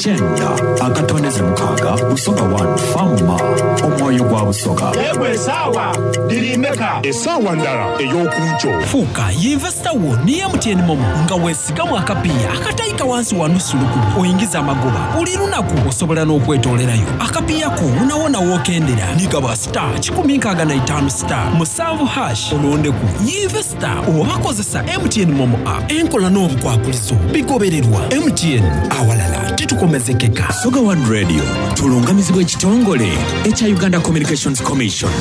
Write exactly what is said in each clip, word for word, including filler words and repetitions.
Kyenda akatondeze mukaaga Busoga One Fama omwoyo gwa Busoga. Egwe esaawa dirimeka esaawa ndala ey'okunkyo. Fuuka yinvesita wo ni M T N MoMo nga weesigamu akapiiya akatayika wansi wa nusu lukumi oyingiza amagoba buli lunaku osobola n'okwetoolerayo akapiiya ko wonawona w'okendera nigaba star kikumi nkaaga na itaano star musanvu hash olondeku yinvesita oba kozesa M T N MoMo app enkola n'obukwakulizo bigobererwa M T N awalala titukomezekeka. Busoga One Radio tulungamizibwa ekitongole ekya Uganda Communications Commission.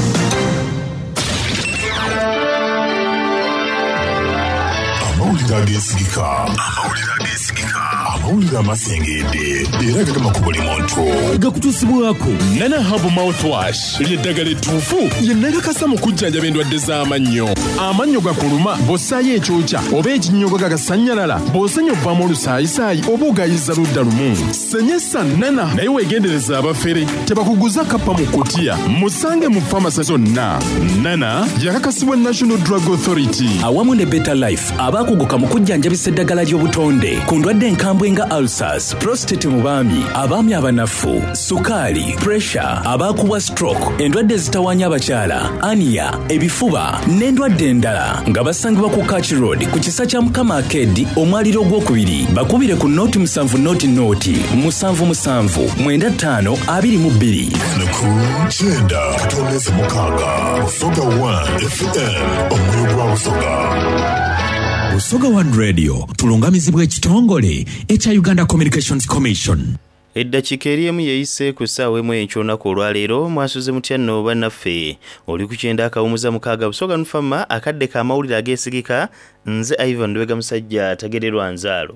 Amawulire ageesigika, amawulire ageesigika, amawulire amasengedde era gagema ku buli muntu. Gakutuusibwako Nana Herbal Mouthwash ly'eddagala ettuufu lye nakakasa mu kujjanjaba endwadde z'amannyo. Amannyo gakuluma bw'ossaayo ekyokya oba ekinnyogo gagasannyalala, bw'osenya ovaamu olusaayisaayi oba ogayiza ludda lumu. Senyesa Nana naye weegendereza abafere tebakuguza kappa mu kutiya. Musange mu famasi zonna. Nana yakakasibwa National Drug Authority awamu ne Better Life abaakuguka mu kujjanjabisa eddagala ly'obutonde ku ndwadde enkambwe nga ulcers, prostate mu baami, abaami abanafu, sukaali, pressure, abaakubwa stroke, endwadde ezitawaanya abakyala, ania, ebifuba n'endwadde endala nga basangibwa ku Kach Road ku kisa kya Mukama Arcade omwaliro ogwokubiri. Bakubire ku noti musanvu noti noti musanvu musanvu mwenda ttaano abiri mu bbiri. Ku kyenda katondeze mukaaga Busoga One F M omwoyo gwa Busoga. Busoga One Radio tulungamizibwa ekitongole ekya Uganda Communications Commission. Eddakiika eri emu yeeyise ku ssaawa emu enkya olwaleero mwasuze mutya nno bannaffe. Oli ku kyenda akawumuza mukaaga Busoga Nufama akadde k'amawulire ageesigika nze Ivan Ndwega musajja atagererwa nzaalo.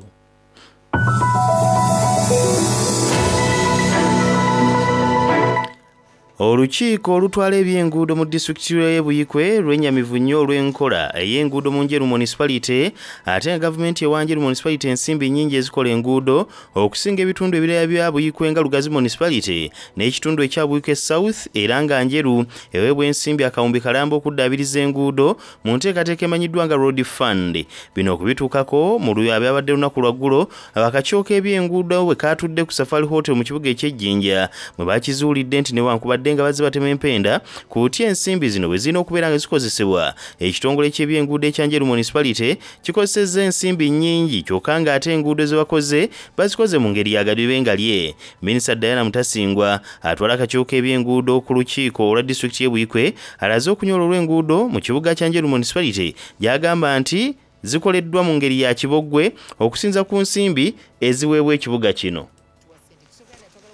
Olukiiko olutwala ebyenguudo mu disitulikiti y'e Buikwe lwennyamivu nnyo olw'enkola ey'enguudo mu Njeru Municipality ate nga gavumenti ewa Njeru Municipality ensimbi nnyingi ezikola enguudo okusinga ebitundu ebirala bya Buikwe nga Lugazi Municipality n'ekitundu ekya Buikwe South era nga Njeru eweebwa ensimbi akawumbi kalamba okuddaabiriza enguudo mu nteekateeka emanyiddwa nga Road Fund. Bino okubituukako mu byabadde lunaku lwa ggulo akakiiko k'ebyenguudo bwe kaatudde ku Safari Hotel mu kibuga eky'Ejjinja mwe bakizuulidde nti newankubadde nga bazze batema empenda ku butya ensimbi zino bwe zirina okubeera nga zikozesebwa. Ekitongole ky'ebyenguudo ekya Njeru Municipality kikozesezza ensimbi nnyingi kyokka ng'ate enguudo ze bakoze bazikoze mu ngeri ya gadibengalye. Minisita Diana Mutasingwa atwala akakiiko k'ebyenguudo ku lukiiko olwa disitulikiti y'e Buikwe alaze okunyola olw'enguudo mu kibuga kya Njeru Municipality gy'agamba nti zikoleddwa mu ngeri ya kiboggwe okusinza ku nsimbi eziweebwa ekibuga kino.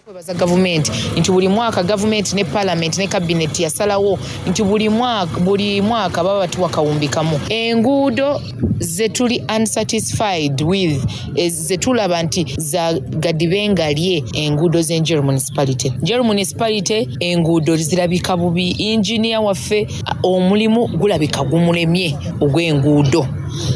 Kwebaza gavumenti nti buli mwaka gavumenti ne parliament ne cabinet yasalawo nti buli mwaka buli mwaka baba batuwa kawumbi kamu. Enguudo ze tuli unsatisfied with ze tulaba nti za gadibengalye enguudo z'e Njeru Municipality. Njeru Municipality enguudo zirabika bubi, engineer waffe omulimu gulabika gumulemye ogw'enguudo.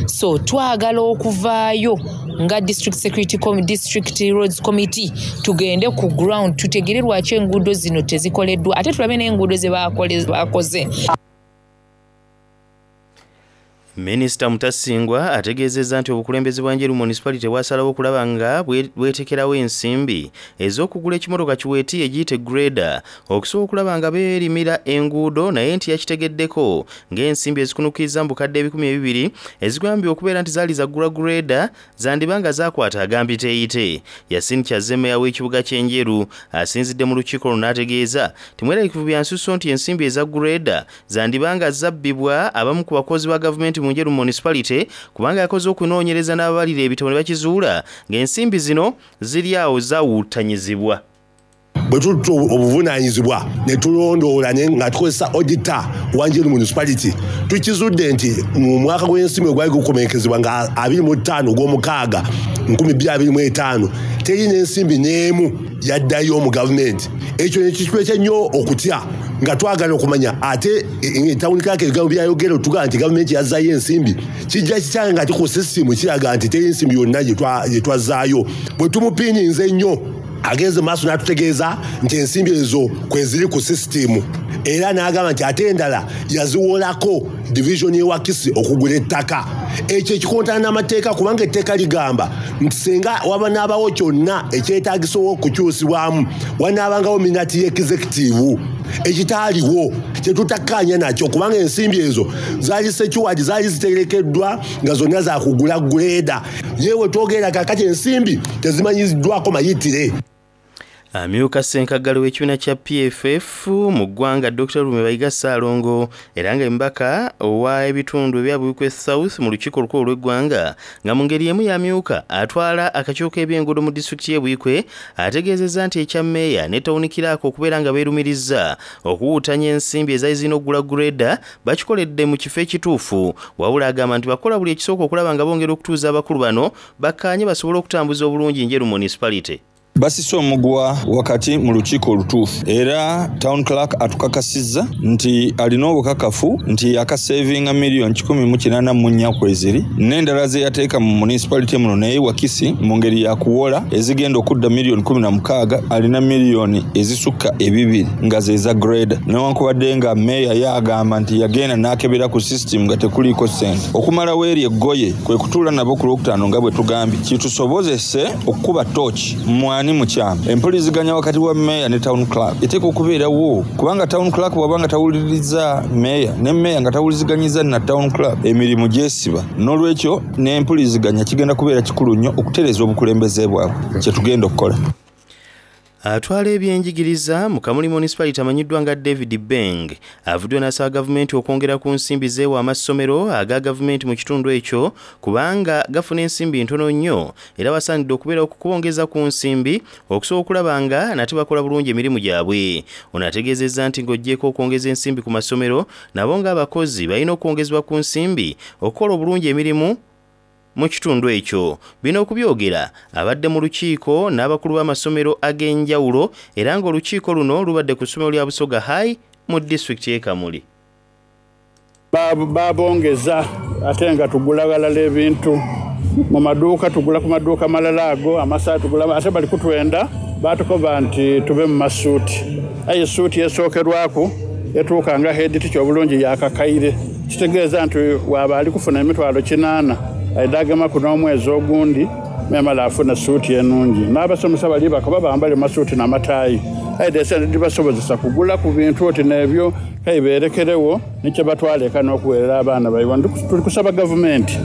So twagala okuvaayo nga district security committee, district roads committee tugende ku ground tutegere lwaki enguudo zino tezikoleddwa ate tulabe n'enguudo ze bakoze. Minisita Mutasingwa ategeezezza nti obukulembeze bwa Njeru Municipality bwasalawo okulaba nga bwetekerawo ensimbi ez'okugula ekimotoka kiweeti egiyite grader okusobola okulaba nga beerimira enguudo naye nti yakitegeddeko ng'ensimbi ezikunukkiriza mu bukadde ebikumi ebibiri ezigambye okubeera nti zaali zaggula grader zandiba nga zaakwata agambiteeyite. Yasin Kyazze meeya w'ekibuga ky'e Njeru asinzidde mu lukiiko luno n'ategeeza timweraliikirivu bya nsusso nti ensimbi eza grader zandiba nga zabbibwa abamu ku bakozi ba gavumenti mu Njeru Municipality kubanga yakoze okunoonyereza n'ababalira ebitabo ne bakizuula ng'ensimbi zino ziri awo zaawuutanyizibwa. Bwe tutta obuvunaanyizibwa ne tulondoola nga tukozesa auditor wa Njeru Municipality tukizudde nti mu mwaka gw'ensimbi ogwali gukomekezebwa nga abiri mu ttaano ogw'omukaaga nkumi bbiri abiri mu etaano teri n'ensimbi n'emu yaddayo mu gavumenti. Ekyo ne kituleka nnyo okutya nga twagala okumanya ate etawuni kake ebigambo byayogera otugamba nti gavumenti yazzaayo ensimbi kijja kikyanga nga ku sisitimu kiraga nti teri nsimbi yonna gye twazzaayo. Bwe tumupiininze ennyo agenze maaso n'atutegeeza nti ensimbi ezo kwe ziri ku sisitimu era n'agamba nti ate endala yaziwolako division y'e Wakisi okugula ettaka. Ekyo ekikontana n'amateeka kubanga etteeka ligamba Nti singa wabanaabawo kyonna ekyetagisa okukyusibwamu, wanaabangawo minute y'executive, ekitaaliwo kyetutakkaanya nakyo, kubanga ensimbi ezo zaali secured, zaali ziterekeddwa nga zonna zakugula grader. Yewe twogera kakati ensimbi tezimanyiddwako mayitire. Amyuka ssenkaggale w'ekibiina kya P F F mu ggwanga, Doctor Lulume Bayiga Ssaalongo, era nga embaka owa ebitundu ebya Buikwe South mu lukiiko olukulu olw'eggwanga, nga mu ngeri emu yamyuka atwala akakiiko k'ebyenguudo mu disitulikiti y'e Buikwe, ategeezezza nti ekya mmeeya ne town clerk okubeera nga beerumiriza okuwuutanya ensimbi ezaali zirina okugula grader bakikoledde mu kifo ekituufu. Wabula agamba nti bakola buli ekisooka okulaba nga bongera okutuuza abakulu bano bakkaanye basobole okutambuza obulungi Njeru Municipality. Basise omuguwa wakati mu lukiiko olutuufu, era town clerk atukakasizza nti alina obukakafu nti yakasevinga miliyoni kikumi mu kinaana mu nnya kweziri n'endala ze yateeka mu municipality muno, naye wakisi mu ngeri yakuwola ezigenda okudda miliyoni kumi na mukaaga, alina miliyoni ezisukka ebibiri nga zeza grader, newankubadde nga meeya yagamba nti yagenda n'akebera ku system nga tekuliiko ssente. Okumalawo eri eggoye kwe kutuula nabo ku Lwokutaano nga bwe tugambye, kitusobozese okukuba tooki mwani mukyamu. Empuliziganya wakati wa meeya ne town clerk eteeka okubeerawo, kubanga town clerk bw'aba nga tawuliriza meeya, ne meeya nga tawuliziganyiza na town clerk, emirimu gyesiba. N'olwekyo n'empuliziganya kigenda kubeera kikulu nnyo okutereeza obukulembeze bwabwe, kyetugenda okukola. Atwala ebyenjigiriza mu Kamuli Municipality amanyiddwa nga David Beng avuddeyo n'asaba gavumenti okwongera ku nsimbi zeewa amasomero aga gavumenti mu kitundu ekyo, kubanga gafuna ensimbi ntono nnyo, era basaanidde okubeera okubongeza ku nsimbi okusobola okulaba nga nate bakola bulungi emirimu gyabwe. Ono ategeezezza nti ng'oggyeko okwongeza ensimbi ku masomero, nabo ng'abakozi balina okwongezebwa ku nsimbi okukola obulungi emirimu mu kitundu ekyo. Bino okubyogera abadde mu lukiiko n'abakulu b'amasomero ag'enjawulo, era ng'olukiiko luno lubadde ku ssomero lya Busoga High mu disitulikiti y'e Kamuli. Babongeza ate nga tugula ghalala ebintu mu maduuka, tugula ku maduuka malala ago amasaati tugula, ate bali kutwenda batukoba nti tube mu masuuti, aye suuti esookerwaku etuuka nga head teacher obulungi yakakaire, kitegeeza nti waba ali kufuna emitwalo kinaana, aidagemaku n'omwezi ogundi memala afuna suuti enungi. N'abasomesa bali bakaba bambale masuuti n'amataayi, aide esente dibasobozesa kugula ku bintu oti n'ebyo kaiberekerewo nikyo batwala eka n'okuweerera abaana baibwe. Tuli kusaba gavumenti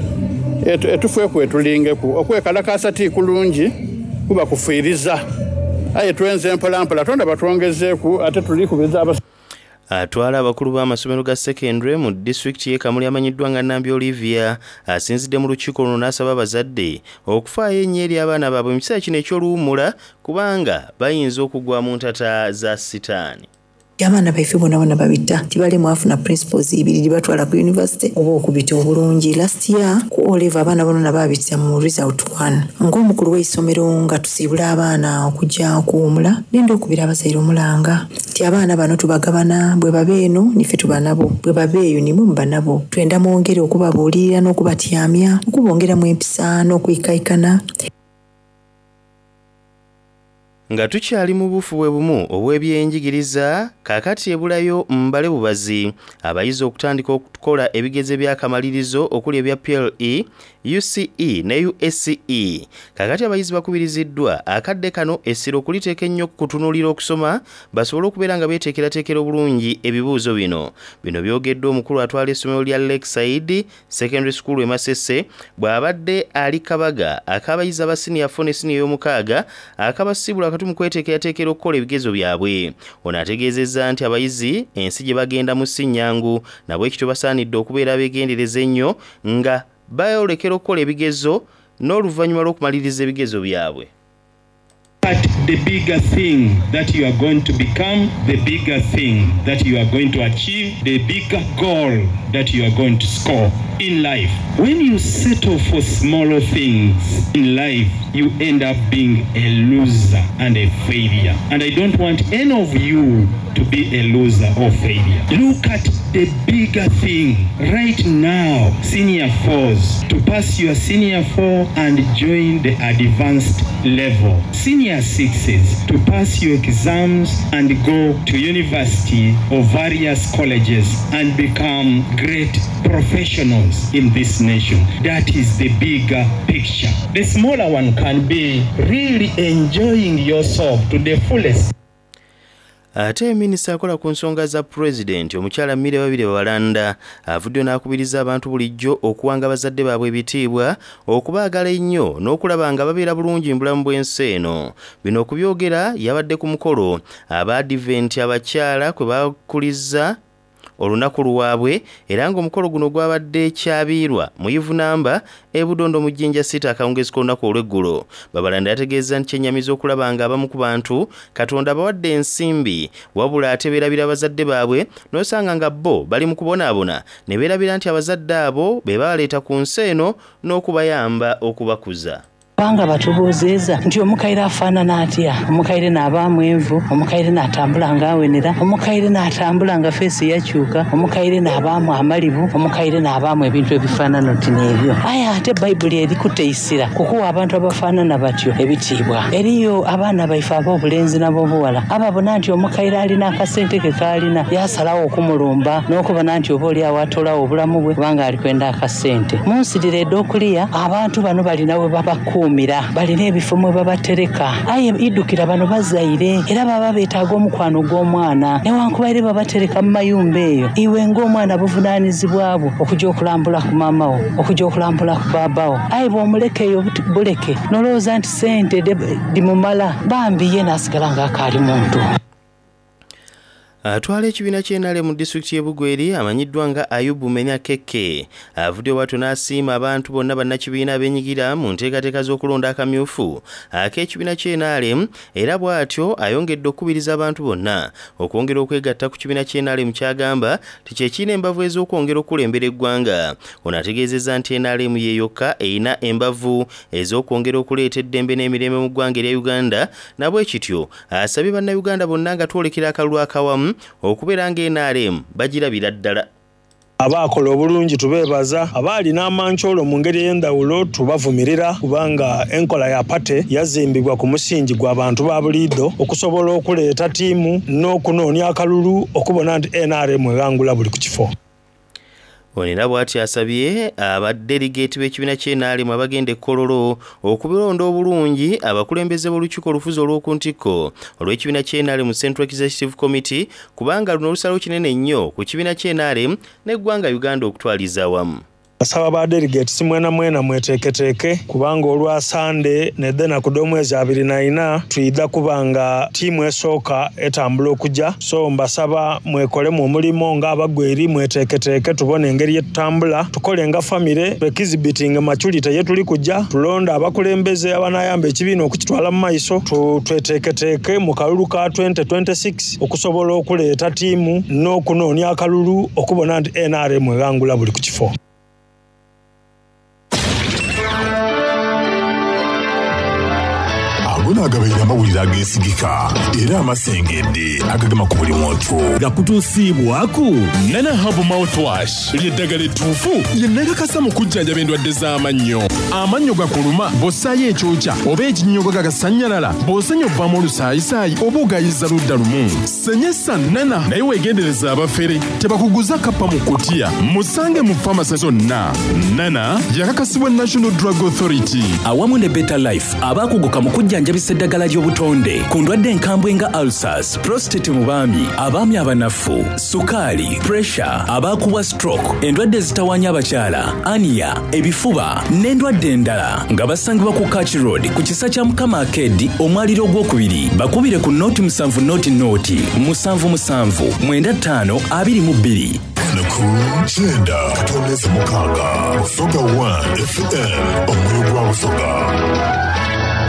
etufeeku etulingeku okwekalakasa ti kulungi kuba kufiiriza, aye twenze mpolampola tonda batwongezeeku, ate tulikubiriza. Atwala abakulu b'amasomero ga secondary mu disitulikiti y'e Kamuli amanyiddwa nga Nambi Olivia asinzidde mu lukiiko luno n'asaba abazadde okufaayo ennyo eri abaana baabwe mu kiseera kino eky'oluwummula, kubanga bayinza okugwa mu ntata za sitaani. Abaana baife bona bona babita tibalemu afuna principles ibiri dibatwala ku university oba okubita obulungi. Last year ku O level abaana bonona babita mu result one. Ng'omukulu w'eisomero nga tusiibula abaana okujja okuwumula, nenda okubira abazaire omulanga nti abaana bano tubagabana, bwe baba eno nife tuba nabo, bwe baba eyo nimwe muba nabo. Twenda mwongere okubabuulirira n'okubatyamya, okubongeramu empisa n'okwikaikana. Nga tukyali mu bufu bwe bumu obw'ebyenjigiriza, kaakati ebulayo mbale bubazi abayizi okutandika okukola ebigezo ebyakamalirizo okuli ebya P L E, U C E ne U S C E. Kaakati abayizi bakubiriziddwa akadde kano essira okuliteeka ennyo kutunuulira okusoma, basobole okubeera nga beeteekerateekera obulungi ebibuuzo bino. Bino byogeddwa omukulu atwala essomero lya Lakeside Secondary School e Masese, bw'abadde ali kabaga ak'abayizi aba siniya four ne siniya ey'omukaaga akabasiibula wakati mu kweteekerateekera okukola ebigezo byabwe. Ono ategeezezza nti abayizi ensi gye bagendamu si nnyangu, nabwekityo basaanidde okubeera abeegendereza ennyo nga bayolekera okukola ebigezo n'oluvannyuma lw'okumaliriza ebigezo byabwe. But the bigger thing that you are going to become, the bigger thing that you are going to achieve, the bigger goal that you are going to score in life. When you settle for smaller things in life, you end up being a loser and a failure. And I don't want any of you to to be a loser or failure. Look at the bigger thing. Right now, senior fours, to pass your senior four and join the advanced level. Senior sixes, to pass your exams and go to university or various colleges and become great professionals in this nation. That is the bigger picture. The smaller one can be really enjoying yourself to the fullest. Ate minisita akola ku nsonga za pulezidenti, omukyala Milly Babirye Babalanda, avuddeyo n'akubiriza abantu bulijjo okuwanga bazadde baabwe ebitiibwa, okubaagala ennyo n'okulaba nga babeera bulungi mu bulamu bw'ensi eno. Bino okubyogera yabadde ku mukolo Abaadiventi abakyala kwe bakuliza olunaku lwabwe, era ng'omukolo guno gwabadde Kyabiirwa mu Ivunamba e Budondo mu Jjinja City akawungeezi k'olunaku olw'eggulo. Babalanda yategeeza nti kyennyamiza okulaba nga abamu ku bantu Katonda abawadde ensimbi, wabula ate beerabira abazadde baabwe, n'osanga nga bo bali mu kubonaabona ne beerabira nti abazadde abo be babaleeta ku nsi eno n'okubayamba okubakuza. Kubanga batubuuziza nti omukaire afaanana atya? Omukaire n'abaamu envu, omukaire n'atambula ng'awenera, omukaire n'atambula nga feesi yakyuka, omukaire n'abaamu amalibu, omukaire n'abaamu ebintu ebifaanana oti n'ebyo. Aye ate Bayibuli erikuteisira kukuwa abantu abafaanana batyo ebitiibwa. Eriyo abaana baife ab'obulenzi n'ab'obuwala ababona nti omukaire alina akasente ke k'alina, yasalawo okumulumba n'okubona nti oba oli awo atolawo obulamu bwe kubanga ali kwenda akasente. Mu nsi dhira ed'okuliya abantu bano balina we babakuuma, balina ebifo mwe babatereka. Aye idukira bano bazaire era baba beetaaga omukwano gw'omwana, newankubaire babatereka mu mayumba eyo. Iwe ng'omwana buvunaanyizibwa bwo okujja okulambula ku maama wo, okujja okulambula ku baaba wo. Aye bw'omuleka eyo buleke nolowooza nti sente dimumala, bambi ye n'asigala ng'akaali muntu. Atwala ekibiina ky'N R M mu disitulikiti y'e Bugweri amanyiddwa nga Ayubu Menya Keke avuddeyo bw'atyo n'asiima abantu bonna bannakibiina abeenyigira mu nteekateeka z'okulonda akamyufu ak'ekibiina ky'N R M, era bw'atyo ayongedde okukubiriza abantu bonna okwongera okwegatta ku kibiina ky'N R M ky'agamba nti kye kirina embavu ez'okwongera okukulembera eggwanga. Ono ategeezezza nti N R M ye yokka erina embavu ez'okwongera okuleeta eddembe n'emirembe mu ggwanga erya Uganda, na bwe kityo asabye bannayuganda bonna nga twolekera akalulu akawamu okubeera nga N R M bagirabira ddala. Abaakola obulungi tubeebaza, abaalina amankyolo mu ngeri ey'endawulo tubavumirira, kubanga enkola ya pate yazimbibwa ku musingi gw'abantu ba buliido okusobola okuleeta ttiimu n'okunoonya akalulu okubona nti N R M ewangula buli ku kifo. Ono era bw'atyo asabye abadelegate b'ekibiina ky'N R M abagenda e Kololo okubilonda obulungi abakulembeze b'olukiiko olufuzi olw'oku ntikko olw'ekibiina ky'N R M Central Executive Committee, kubanga luno olusalawo kinene nnyo ku kibiina ky'N R M n'eggwanga Uganda okutwaliza awamu. Asaba ba delegates mwena mwena mweteeketeeke, kubanga olwa Sande nedena ku d'omwezi abiri na ina twidha kubanga ttiimu esooka etambula okujja. So mbasaba mwekolemu omulimu ng'abagweri, mweteeketeeke tubone engeri yetutambula, tukole nga famire, twekizibitinge maturity ye tuli kujja, tulonde abakulembeze abanayamba ekibiina okukitwala mu maiso, tweteeketeeke mu kalulu ka twenty twenty-six okusobola okuleeta ttiimu n'okunoonya akalulu okubona nti N R M ewangula buli ku kifo. Agabaire amawulire ageesigika era amasengedde agagema ku buli muntu. Gakutuusiibwaku Nana Herbal Mouthwash ly'eddagala ettuufu lye nakakasa mu kujjanjaba endwadde z'amannyo. Amannyo gakuluma bw'ossaayo ekyokya oba ekinnyogo gagasannyalala, bw'osenya ovaamu olusaayisaayi oba ogayiza ludda lumu. Senyesa Nana, naye weegendereza abafere tebakuguza kappa mu kutiya. Musange mu famasi zonna. Nana yakakasibwa National Drug Authority awamu ne Better Life abaakuguka mu kujjanjabisa eddagala ly'obutonde ku ndwadde enkambwe nga ulcers, prostate mu baami, abaami abanafu, sukaali, pressure, abaakubwa stroke, endwadde ezitawaanya abakyala, ania, ebifuba n'endwadde endala, nga basangibwa ku Kach Road ku kisa kya Mukama Arcade omwaliro ogwokubiri. Bakubire ku noti musanvu noti noti musanvu musanvu mwenda ttaano abiri mu bbiri. Ku kyenda katondeze mukaaga Busoga one F M omwoyo gwa Busoga.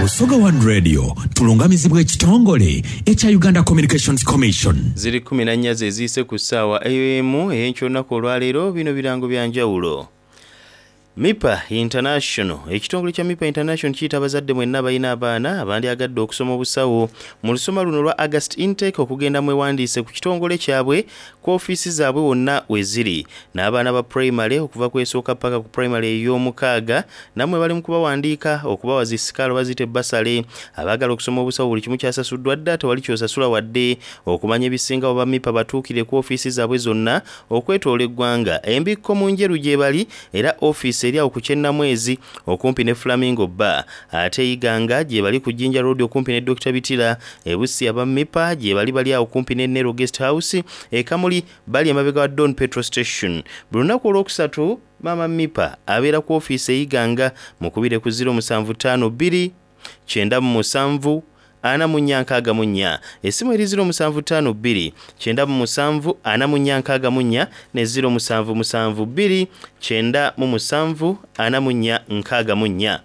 Busoga One Radio tulungamizibwa ekitongole ekya Uganda Communications Commission. Ziri kumi na nnya ze ziyise ku ssaawa emu ey'enkya olunaku olwaleero. Bino birango bya njawulo. Mipa International. Ekitongole kya Mipa International kiyita abazadde mwenna balina abaana abandyagadde okusoma obusawo mu lusoma luno lwa August intake okugenda mwewandiise ku kitongole kyabwe ku ofiisi zaabwe wonna we ziri. N'abaana ba primary okuva ku esooka paka ku primary ey'omukaaga nammwe bali mu kubawandiika okubawa zi sikaala oba ziyite basale. Abaagala okusoma obusawo buli kimu kyasasuddwa dda, tewali ky'osasula wadde. Okumanya ebisingawo ba Mipa batuukire ku ofiisi zaabwe zonna okwetoola eggwanga. Embikko mu Njeru gye bali era ofiisi eri awo ku Kyennamwezi okumpi ne Flamingo Bar. Ate Iganga gye bali ku Jinja Road okumpi ne Dokita Bitira. E Busia aba Mipa gye bali bali awo kumpi ne Nero Guest House. E Kamuli bali emabega wa Don Petrol Station. Buli lunaku olwokusatu Maama Mipa abeera ku ofiisi e Iganga, mukubire ku ziro musanvu ttaano bbiri kyenda mu musanvu ana mu nnya nkaaga mu nnya. Essimu eri ziro musanvu ttaano bbiri kyenda mu musanvu ana mu nnya nkaaga mu nnya ne ziro musanvu musanvu bbiri kyenda mu musanvu ana mu nnya nkaaga mu nnya.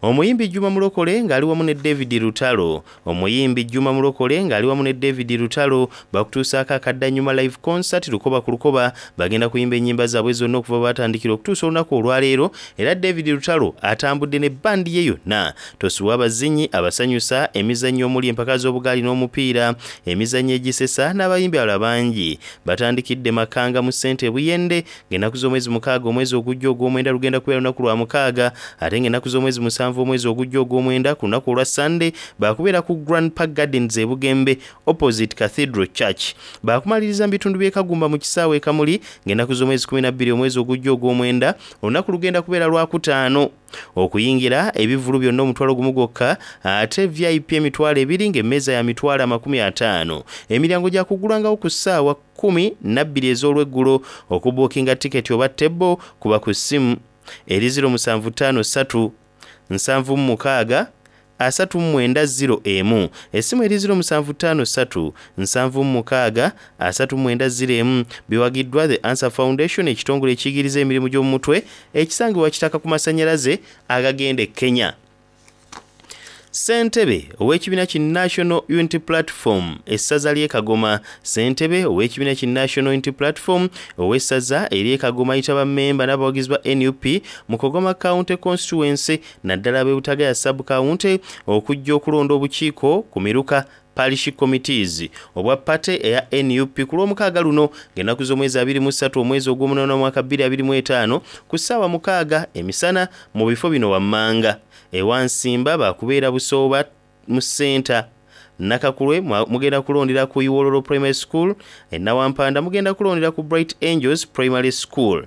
Omuyimbi Juma Mulokole ng'ali wamu ne David Lutalo. Omuyimbi Juma Mulokole ng'ali wamu ne David Lutalo bakutuusaako akaddannyuma live concert lukoba ku lukoba. Bagenda kuyimba ennyimba zaabwe zonna okuva batandikira okutuusa olunaku olwaleero, era David Lutalo atambudde ne bbandi ye yonna. Tosuwa abazinyi abasanyusa, emizannyo omuli empaka z'obugaali n'omupiira, emizannyo egisesa n'abayimbi abalala bangi. Batandikidde Makanga mu ssente e Buyende ng'ennaku z'omwezi mukaaga omwezi ogujja ogw'omwenda lugenda kubeera lunaku lwa mukaaga, ate ng'ennaku z'omwezi musanvu omwezi ogujja ogw'omwenda ku lunaku olwa Sunday baakubeera ku Grand Park Gardens e Bugembe opposite Cathedral Church. Baakumaliriza mu bitundu by'e Kagumba mu kisaawe e Kamuli ng'ennaku z'omwezi kkumi na bbiri omwezi ogujja ogw'omwenda, olunaku lugenda kubeera lwakutaano. Okuyingira ebivvulu byonna omutwalo gumu gwokka, ate V I P emitwalo ebiri ng'emmeeza ya mitwalo amakumi ataano. Emiryango gya kuggulangawo ku ssaawa kkumi na bbiri ez'olweggulo. Okubuukinga tiketi oba tebo kuba ku ssimu eri ziro musanvu ttaano ssatu nsanvu mu mukaaga asatu mu mwenda ziro emu. Essimu eri ziro musanvu ttaano ssatu nsanvu mu mukaaga asatu mu mwenda ziro emu. Biwagiddwa The Answer Foundation, ekitongole ekiyigiriza emirimu gy'omu mutwe ekisangibwa Kitaka ku masannyalaze agagenda e Kenya. Ssentebe ow'ekibiina ki National Unity Platform essaza ly'e Kagoma. Ssentebe ow'ekibiina ki National Unity Platform ow'essaza ery'e Kagoma ayita bammemba n'abawagizi ba N U P mu Kagoma County Constituency naddala ab'e Butagaya Sub County okujja okulonda obukiiko ku miruka Parish Committees obwa party eya N U P ku lw'omukaaga luno ng'ennaku z'omwezi abiri mu ssatu omwezi ogw'omunaana omwaka bbiri abiri mu etaano ku ssaawa mukaaga emisana mu bifo bino wammanga. Ewansimba bakubeera Busooba mu ssenta, Nakakulwe mugenda kulondera ku Iwololo Primary School, e Nawampanda mugenda kulondera ku Bright Angels Primary School.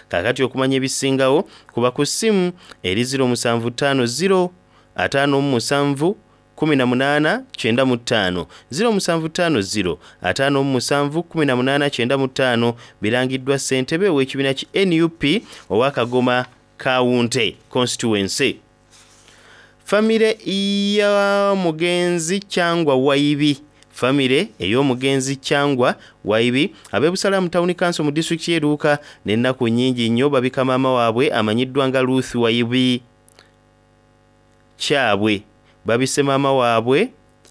Kaakati okumanya ebisingawo kuba ku ssimu eri ziro musanvu ttaano ziro ataano mu musanvu kumi na munaana kyenda mu ttaano, ziro musanvu ttaano ziro ataano mu musanvu kumi na munaana kyenda mu ttaano. Birangiddwa ssentebe ow'ekibiina ki N U P owa Kagoma County Constituency. Famire y'omugenzi Kyangwa Waibi. Famire ey'omugenzi Kyangwa Waibi ab'e Busalamu Town Council mu disitulikiti y'e Luuka n'ennaku nnyingi nnyo babika maama waabwe amanyiddwa nga Ruth Waibi Kyabwe. Babise maama waabwe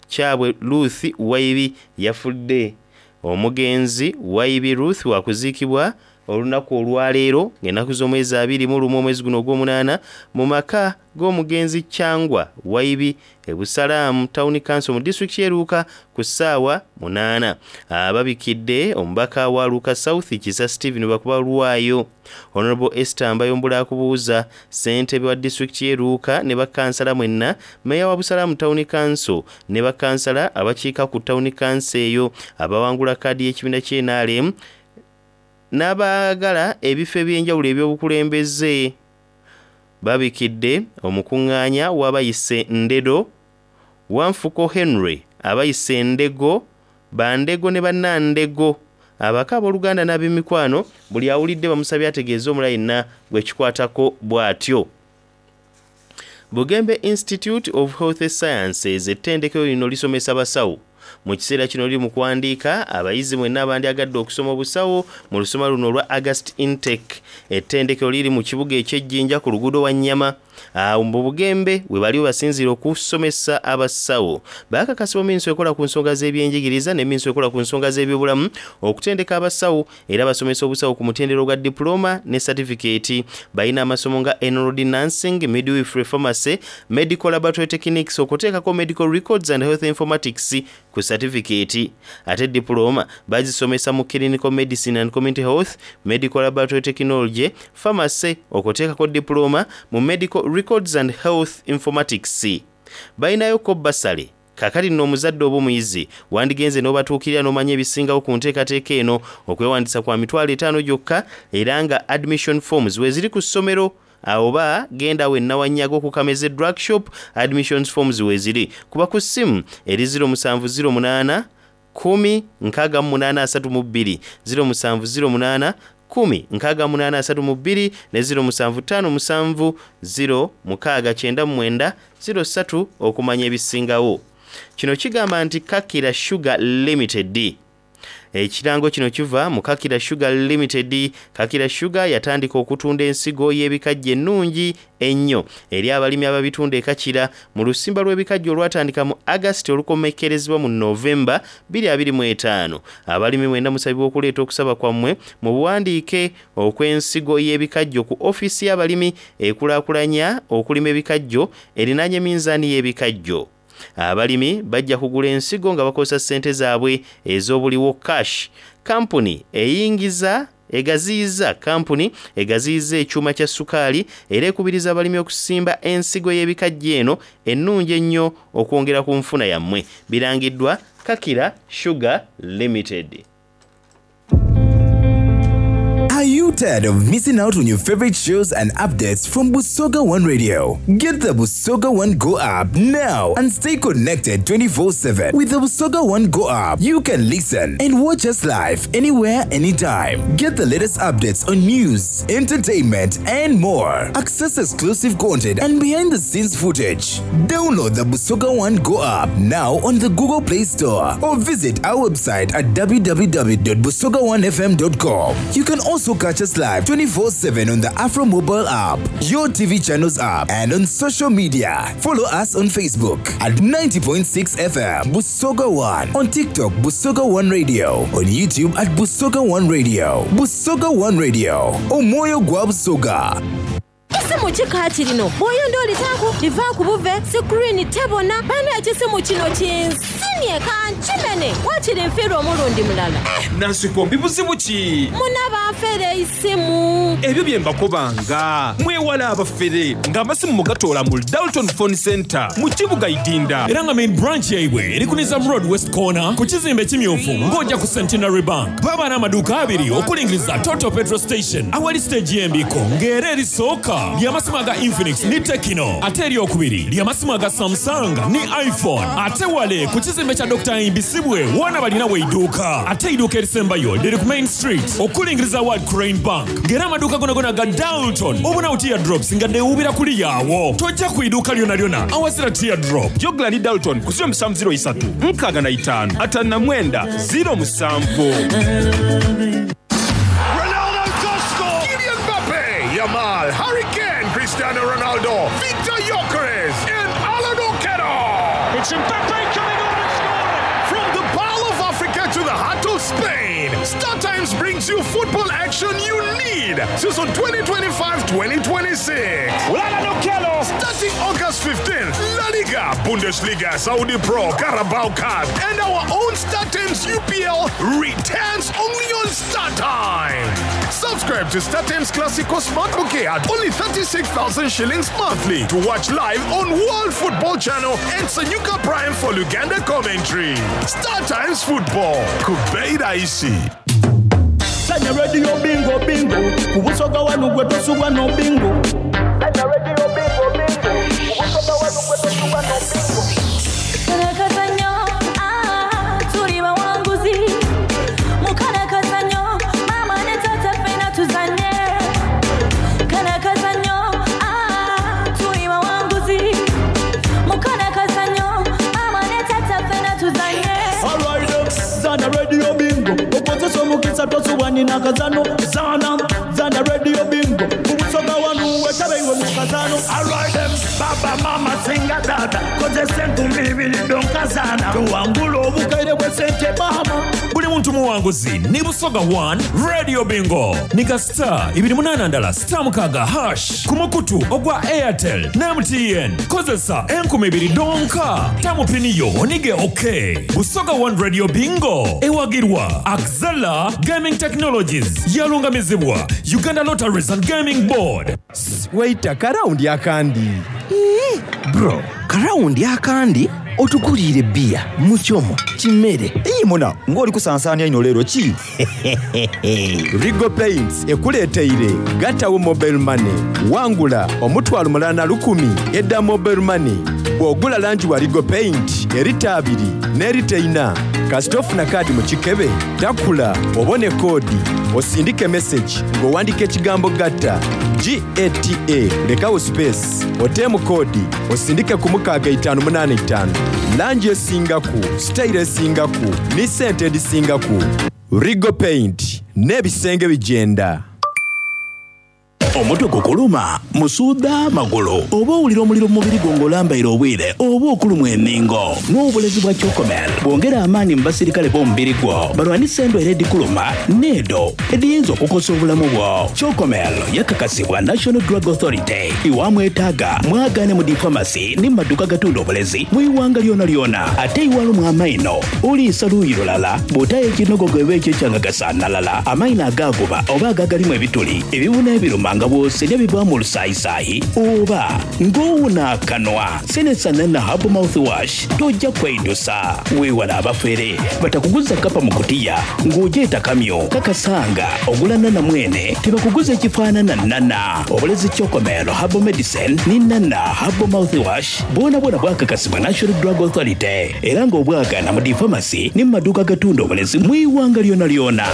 Kyabwe Ruth Waibi yafudde. Omugenzi Waibi Ruth wakuziikibwa olunaku olwaleero ng'ennaku z'omwezi abiri mu lumu omwezi guno ogw'omunaana mu maka g'omugenzi Kyangwa Waibi e Busalamu Town Council mu disitulikiti y'e Luuka ku ssaawa munaana. Ababikidde omubaka wa Luuka South Kisa Stephen bakuba lwayo. Honorable Esther Mbayombula akubuuza ssentebe wa disitulikiti y'e Luuka ne bakansala mwenna, meeya wa Busalamu Town Council ne bakansala abakiika ku Town Council eyo abawangula kaadi y'ekibiina ky'N R M n'abaagala ebifo eby'enjawulo eby'obukulembeze. Babikidde omukuŋŋaanya w'abayise Ndedo, Wanfuko Henry, abayise Ndego, Bandego ne Bannandego, abaka abooluganda n'ab'emikwano. Buli awulidde bamusabye ategeeze omulala yenna gwe kikwatako bw'atyo. Bugembe Institute of Health Sciences ettendekero lino lisomesa basawo. Mu kiseera kino liri mu kuwandiika abayizi mwenna abandyagadde okusoma obusawo mu lusoma luno olwa August intake. Ettendekero liri mu kibuga eky'Ejjinja ku luguudo Wannyama. Awo mu Bugembe we bali basinziira okusomesa abasawo. Baakakasibwa minisitule ekola ku nsonga z'ebyenjigiriza ne minisitule ekola ku nsonga z'ebyobulamu okutendeka abasawo, era basomesa obusawo ku mutendera gwa diploma ne certificate. Balina amasomo nga enrolled nursing, midwifery, pharmacy, medical laboratory techniques, okuteekako medical records and health informatics ku certificate. Ate diploma bazisomesa mu clinical medicine and community health, medical laboratory technology, pharmacy, okuteekako diploma mu medical records and health informatics. Balinayo ko bursary. Kaakati nno omuzadde oba omuyizi wandigenze n'obatuukirira n'omanya ebisingawo ku nteekateeka eno. Okwewandiisa kwa mitwalo etaano gyokka, era nga admission forms weeziri ku ssomero, oba genda wenna Wanyaga ku Kameze Drug Shop, admissions forms weeziri. Kuba ku ssimu eri zero musanvu zero munaana kkumi nkaaga mu munaana asatu mu bbiri, zero musanvu zero munaana kkumi nkaaga mu munaana asatu mu bbiri ne zero musanvu ttaano musanvu zero mukaaga kyenda mu mwenda zero ssatu okumanya ebisingawo. Kino kigamba nti Kakira Sugar Limited. Ekirango kino kiva mu Kakira Sugar Limited. Kakira Sugar yatandika okutunda ensigo y'ebikajjo ennungi ennyo eri abalimi ababitunda e Kakira mu lusimba lw'ebikajjo olwatandika mu August olukomekkerezebwa mu Novemba twenty twenty-five. Abalimi mwenna musabibwa okuleeta okusaba kwammwe mu buwandiike okw'ensigo y'ebikajjo ku ofiisi y'abalimi ekulaakulanya okulima ebikajjo erinaanye minzaani y'ebikajjo. Abalimi bajja kugula ensigo nga bakozesa ssente zaabwe ez'obuliwo, cash. Kampuni eyingiza egaziyiza kampuni egaziyiza ekyuma kya sukaali era ekubiriza abalimi okusimba ensigo y'ebikajjo eno ennungi ennyo okwongera ku nfuna yammwe. Birangiddwa Kakira Sugar Limited. Are you tired of missing out on your favorite shows and updates from Busoga One Radio? Get the Busoga One Go app now and stay connected twenty-four seven. With the Busoga One Go app, you can listen and watch us live anywhere, anytime. Get the latest updates on news, entertainment, and more. Access exclusive content and behind the scenes footage. Download the Busoga One Go app now on the Google Play Store or visit our website at w w w dot busoga one f m dot com. You can also catch us live twenty-four seven on the Afro Mobile app, your T V channels app, and on social media. Follow us on Facebook at ninety point six F M Busoga One, on TikTok Busoga One Radio, on YouTube at Busoga One Radio. Busoga One Radio, Omwoyo gwa Busoga. Ekisimu kikaati lino bw'oyonda olitaaku livaaku buve screen tebona. Bana, ekisimu kino kinsimye kankimene, wakiri nfiirwa omulundi mulala. Nansikombi, buzibu ki? Muna banfere isimu. Ebyo bye mbakobanga, mwewala abafere ng'amasimu mugatoola mu Dalton Phone Center mu kibuga Idinda. Era nga main branch yaibwe eri ku Nizam Road West Corner ku kizimbe ekimyufu ng'ojja ku Centenary Bank. Baba n'amaduuka abiri okulingiriza Total Petrol Station awali stage y'embiko, ng'era erisooka ly'amasimu aga Infinix ne Tecno, ate eryokubiri ly'amasimu aga Samsung ne iPhone. Ate wale ku kizimbe kya Doctor Imbisibwe woona balina weidduuka, ate eiduuka erisembayo liri ku Main Street okulingiriza World Crane Bank, ng'era amaduuka gonagona ga Dalton obonawo teardrops nga deewubira kuli yaawo. Tojja ku iduuka lyona lyona awazira teardrop. Jogla ni Dalton ku zero seven zero three six five five nine zero seven. Ronaldo to score! Kylian Mbappe, Yamal, Harry Kane, Cristiano Ronaldo, Victor Gyökeres, and Alan Okello. It's Mbappe coming on and scoring! From the Pearl of Africa to the heart of Spain, Star Times brings you football action you need. Season twenty twenty-five twenty twenty-six. Alan Okello! Starting August fifteenth, La Liga, Bundesliga, Saudi Pro, Carabao Cup, and our own Star Times U P L returns only on Star Times. Subscribe to Star Times Classico Smart Bouquet at only thirty-six thousand shillings monthly to watch live on World Football Channel and Sanyuka Prime for Luganda commentary. Star Times Football. Kubeira Isi. Sanya Radio bingo bingo ku Busoga wanu gwe tosubwa no bingo. Sanya Radio bingo bingo ku Busoga wanu gwe tosubwa no bingo. Kalakazanyo, ah, tuli bawanguzi. Mukalakazanyo, mama ne tata ffena tuzanye. Kalakazanyo, ah, tuli bawanguzi. Mukalakazanyo, mama ne tata ffena tuzanye. Zana akazano, zana, zana radio bingo. Kubusoga wanu wetabeiwe mu kazano. Alright them, baba mama singa data. Kozesa enkumi ibiri donkazana. Tuwangula obukaire bw'essente mama. Buli muntu muwanguzi ni Busoga one Radio Bingo. Nika star ibiri munana ndala star mukaga hash ku mukutu ogwa Airtel ne M T N. Kozesa enkumi ibiri donka. Tamupiniyo onige okay. Busoga one Radio Bingo. Ewagirwa Axela Gaming Technologies. Yalungamizibwa Uganda Lotteries and Gaming Board. Waita karaundi akandi. Bro, karaundi akandi otukulire bia muchomo chimere. Iyi muna ng'oli kusansaanya ino leero ki? Rigo Paints ekuleeteire gatawo mobile money wangula omutwalo mulala lukumi edda mobile money bw'ogula langi wa Rigo Paint erita abiri n'erita ina kasita ofuna kaadi mu kikebe takula obone koodi osindike message ng'owandika ekigambo gatta G A T A lekawo space oteemu koodi osindike ku mukaaga itaano munaana itaano langi esingaku sitayiro esingaku ne ssente edisingaku. Rigo Paint n'ebisenge bijenda. Omutwe gukuluma, musuuda magulu, oba owulira omuliro mu mubiri gwo ng'olambaire obwire, oba okulumwa enningo. N'obulezi bwa Chocomel bwongera amaanyi mu basirikale b'omubiri gwo balwanise endwaire edikuluma n'edo ediyinza okukosa obulamu bwo. Chocomel yakakasibwa National Drug Authority. Iwamwetaaga mwagaane mu difamasi ne mu maduuka gatunda obulezi mu iwanga lyona lyona. Ate iwalumwa amaino oliisa luuyi lulala bw'otayo ekinogogo eba ekyo ekyangagasaanalala amaino agaaguba oba agagalimu ebituli ebibuna ebiruma nga bw'osenja bivaamu olusaayisaayi oba ng'owuna akanwa. Senesa Nana Herbal Mouthwash tojja kweidusa. Weewala abafere batakuguza kapa mu kutiya ng'ogyeta kamyo kakasanga ogula Nana mwene tebakuguza ekifaanana Nana. Obulezi Chocomel Herbal Medicine ne Nana Herbal Mouthwash bwona bwona bwakakasibwa National Drug Authority era ng'obwagaana mu difamasi ne mu maduuka gatunda obulezi mu iwanga lyona lyona.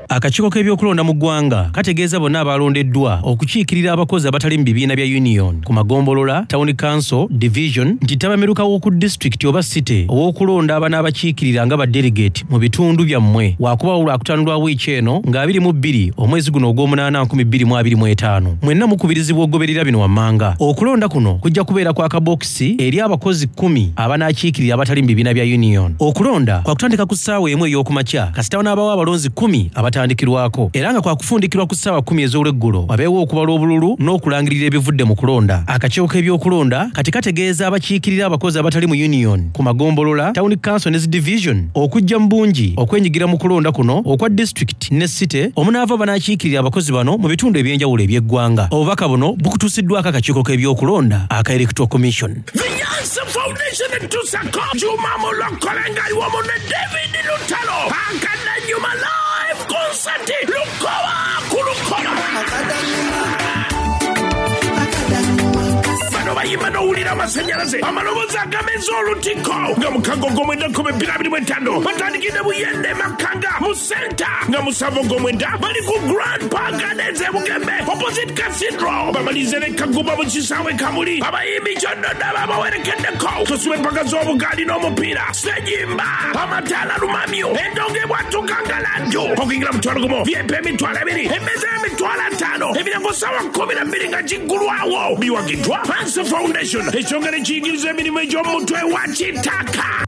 Akakiiko k'ebyokulonda mu ggwanga kategeeza bonna abalondeddwa okukiikirira abakozi abatali mu bibiina bya union ku magombolola, town council, division nti ttabamiruka w'oku disitulikiti oba city ow'okulonda abanaabakiikirira nga ba delegate mu bitundu byammwe waakubaawo lwakutaano lwa wiiki eno nga abiri mu bbiri omwezi guno ogw'omunaana nkumi bbiri mu abiri mu etaano. Mwenna mukubirizibwa okugoberera bino wammanga. Okulonda kuno kujja kubeera kwa kabokisi eri abakozi kkumi abanaakiikirira abatali mu bibiina bya union. Okulonda kwakutandika ku ssaawa emu ey'okumakya kasita wanaabawo abalonzi kkumi abatandikirwako era nga kwakufundikirwa ku ssaawa kkumi ez'olweggulo wabeewo okubala obululu n'okulangirira ebivudde mu kulonda. Akakiiko k'ebyokulonda kati kategeeza abakiikirira abakozi abatali mu union ku magombolola, town council ne division okujja mu bungi okwenyigira mu kulonda kuno okwa district ne city omunaava banaakiikirira abakozi bano mu bitundu eby'enjawulo eby'eggwanga. Obubaka buno bukutuusiddwako akakiiko k'ebyokulonda aka Electoral Commission. The Yansa Foundation etusako Juma Mulokole ngali wamu ne David Lutalo Akadanyuma live concert Lukoba ku Lukoba. Bano bayimba n'owulira amasannyalaze amaloboozi agameza olutiko nga mukago ogw'omwenda nkumi bbiri abiri mu etaano batandikidde Buyende Makanga mu senta nga musanvu ogw'omwenda bali ku Grand Park Gardens e Bugembe opposite Cathedral bamalize ne Kagumba mu kisaawe Kamuli abayimbi kyonna babawerekeddeko tusiba empaka z'obugaali n'omupiira sejimba amataala lumamyo endongo ebwatuka nga laddu okuyingira mutwalo gumu V I P emitwalo ebiri emmeeza y'emitwalo ataano emiryango ssaawa kkumi na bbiri nga giggulwawo biwagiddwa Hansa Foundation ekyongera ekiyigiriza emirimu egy'omutwe wa kitaka.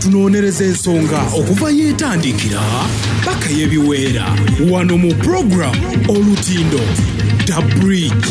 Tunoonyereza ensonga okuva yeetandikira paka y'ebiweera wano mu program Olutindo The Bridge.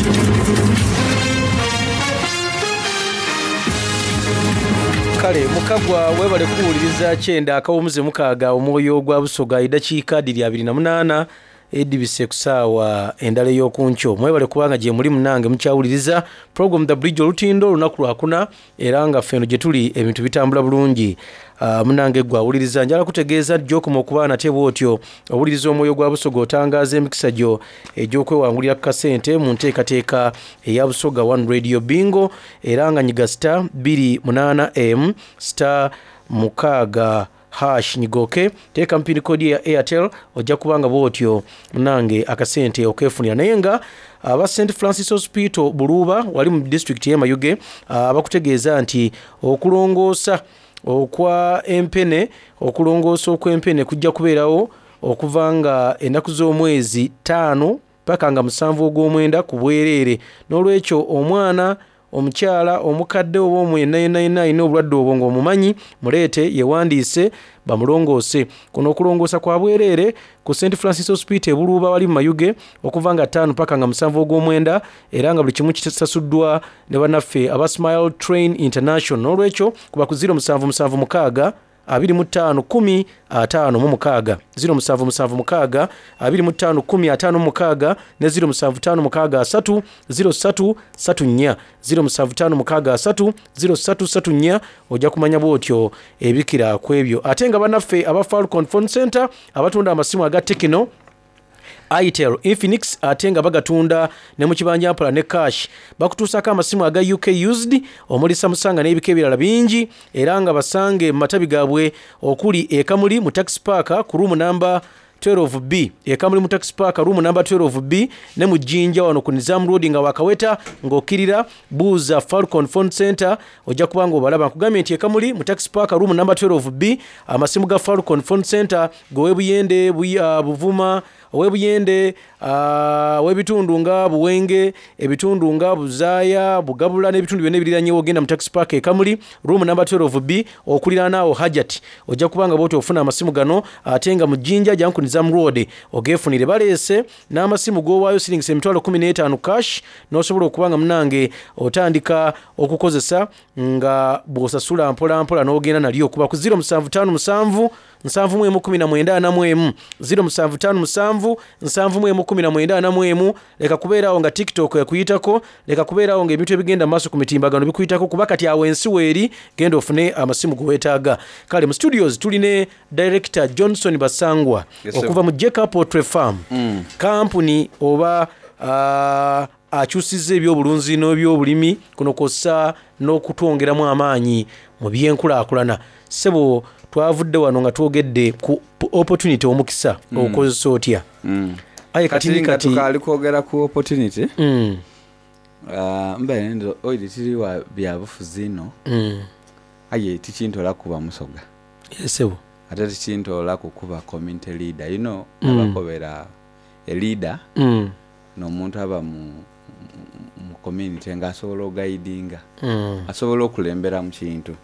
Kale mukagwa webale kuwuliriza kyenda akawumuze mukaaga omwoyo gwa Busoga eddakiika ddiri abiri na munaana edibise ku ssaawa endala ey'okunkyo. Mwebale kubanga gye muli munnange mukyawuliriza program The Bridge Olutindo olunaku lwakuna era nga ffe eno gye tuli ebintu bitambula bulungi. Uh, munnange gwe awuliriza njala kutegeeza gy'okoma okuba nate bw'otyo owuliriza omwoyo gwa Busoga otangaaza emikisa gyo egy'okwewangulira ku kasente mu nteekateeka eya Busoga One Radio Bingo era nga nyiga star bbiri munaana M star mukaaga hash nyigoke teeka mpini kodi ya Airtel ojja kubanga bwotyo munange akasente okefunira. Naye nga aba Saint Francis Hospital Buluba wali mu district y'e Mayuge abakutegeeza nti okulongoosa okwa empene okulongoosa okw'empene kujja kubeerawo okuva nga ennaku z'omwezi ttaano paka nga musanvu ogw'omwenda ku bwereere. N'olwekyo omwana, omukyala, omukadde oba omwenna yenna yenna alina obulwadde obwo ng'omumanyi muleete yewandiise bamulongoose. Kuno okulongoosa kwa bwereere ku Saint Francis Hospital e Buluuba wali mu Mayuge okuva nga ttaano paka nga musanvu ogw'omwenda, era nga buli kimu kisasuddwa ne bannaffe aba Smile Train International. N'olwekyo kuba ku ziro musanvu musanvu mukaaga abiri mu ttaano kumi ataano mu mukaaga, ziro musanvu musanvu mukaaga abiri mu ttaano kumi ataano mu mukaaga ne ziro musanvu ttaano mukaaga asatu ziro ssatu ssatu nnya, ziro musanvu ttaano mukaaga asatu ziro ssatu ssatu nnya. Ojja kumanya bw'otyo ebikira ku ebyo. Ate nga bannaffe aba Falcon Phone Center abatunda amasimu aga Tecno, Itel, Infinix ate nga bagatunda ne mu kibanja mpola ne cash, bakutuusako amasimu aga U K used omuli Samsung n'ebika ebirala bingi, era nga basange mu matabi gaabwe okuli e Kamuli mu Taxi Park ku room number twelve B, e Kamuli mu Taxi Park room number twelve B, ne mu Jinja wano ku Nizam Road nga wakaweta ng'okkirira buuza Falcon Phone Center ojja kuba ng'obalaba. Nkugambye nti e Kamuli mu Taxi Park room number twelve B amasimu ga Falcon Phone Center g'ow'Ebuyende, Buvuma, ow'Ebuyende, ow'ebitundu nga Buwenge, ebitundu nga Buzaaya, Bugabula n'ebitundu byonna ebiriranyewo. Ogenda mu Taxi Park e Kamuli room number twelve B okuliraana awo Hajat ojja kuba nga bw'otyo ofuna amasimu gano. Ate nga mu Jinja jangu ku Nizam Road ogeefunire. Baleese n'amasimu g'owaayo siringisa emitwalo kumi n'etaano cash n'osobola okuba nga munange otandika okukozesa nga bw'osasula mpola mpola n'ogenda nalyo. Kuba ku ziro musanvu ttaano musanvu nsanvu mu emu kumi na mwenda ana mu emu, ziro musanvu ttaano musanvu nsanvu mu emu kumi na mwenda ana mu emu. Leka kubeerawo nga TikTok ekuyitako, leka kubeerawo ng'ebintu ebigenda mu maaso ku mitimbagano bikuyitako, kuba kati awo ensi weeri, genda ofune amasimu ge weetaaga. Kale mu studios tuline Director Johnson Basangwa Yes, sir. okuva mu Jacob Poultry Farm, Mm. kampuni oba uh, akyusizza ebyobulunzi n'ebyobulimi kuno kw'ossa n'okutwongeramu amaanyi mu byenkulaakulana. Ssebo twavudde wano nga twogedde ku opportunity, omukisa Mm. okozesa otya? Mm. Aye kati Kati nga kati tukaali kwogera ku opportunity, Mm. Ah, mbaire ndo oiri tiri wa byabufuzi ino, Mm. aye tikintola kuba musoga, Ssebo ate tikintola kukuba community leader, you know, Mm. abakobera a leader Mm. n'omuntu aba mu, mu community ng'asobola oguidinga, Mm. asobola okulembera mu kintu.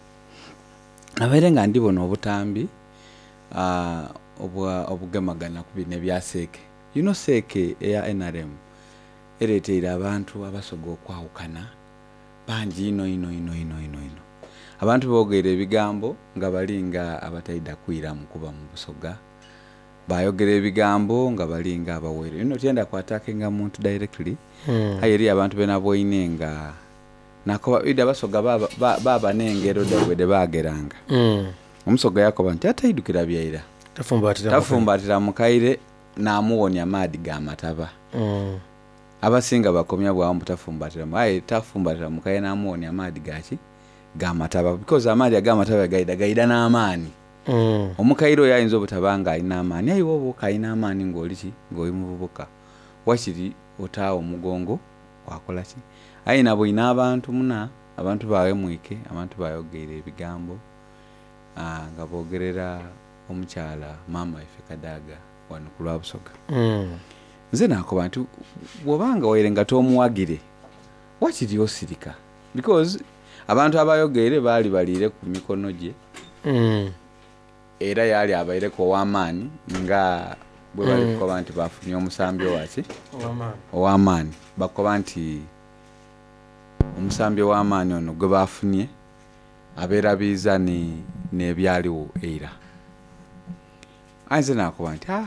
Nabaire nga ndibona obutambi uh, obwa obugemagana ku bino ebya seeke. You know, seeke eya N R M ereeteire abantu abasoga okwawukana bangi ino ino ino ino ino ino. Abantu boogera ebigambo nga balinga abataida kwiramu kuba mu busoga, bayogera ebigambo nga balinga abawere. You know, tyenda kwatakinga muntu directly, Mm. aye eri abantu benaboine nga nakoba ida abasoga baba, ba-, baba n'engero daibwe de baageranga. Mm. Omusoga yakoba nti ataidukira byaira Tafumbatira tafumbatira mukaire n'amuwonya maadi g'amataba. Mm. Abasinga bakomya bwawo mbu tafumbatira mu-, aye tafumbatira mukaire n'amuwonya maadi gaki g'amataba, because amaadi ag'amataba gaida gaida n'amaani. Mm. Omukaire oyo ayinza obutaba nga alina amaani, aye woba okalina amaani ng'oli ki ng'oli muvubuka, wakiri otaawo omugongo wakola ki. Aye nabwine abantu muna, abantu bawemwike, abantu bayogeire ebigambo, ah, nga boogerera omukyala maama waife Kadaga wano ku lwa Busoga. Mm. Nze nakoba nti bw'obanga waire nga tomuwagire wakiri osirika, because abantu abayogeire baali baliire ku mikono gye. Mm. Era yali abaireko ow'amaanyi nga bwe bali Mm. kukoba nti bafunye omusambi owaki? Ow'amaanyi. Ow'amaanyi. Bakoba nti omusambi ow'amaanyi ono gwe bafunye abeerabiiza ni-, n'ebyaliwo eira. Aye nze nakoba nti, ah,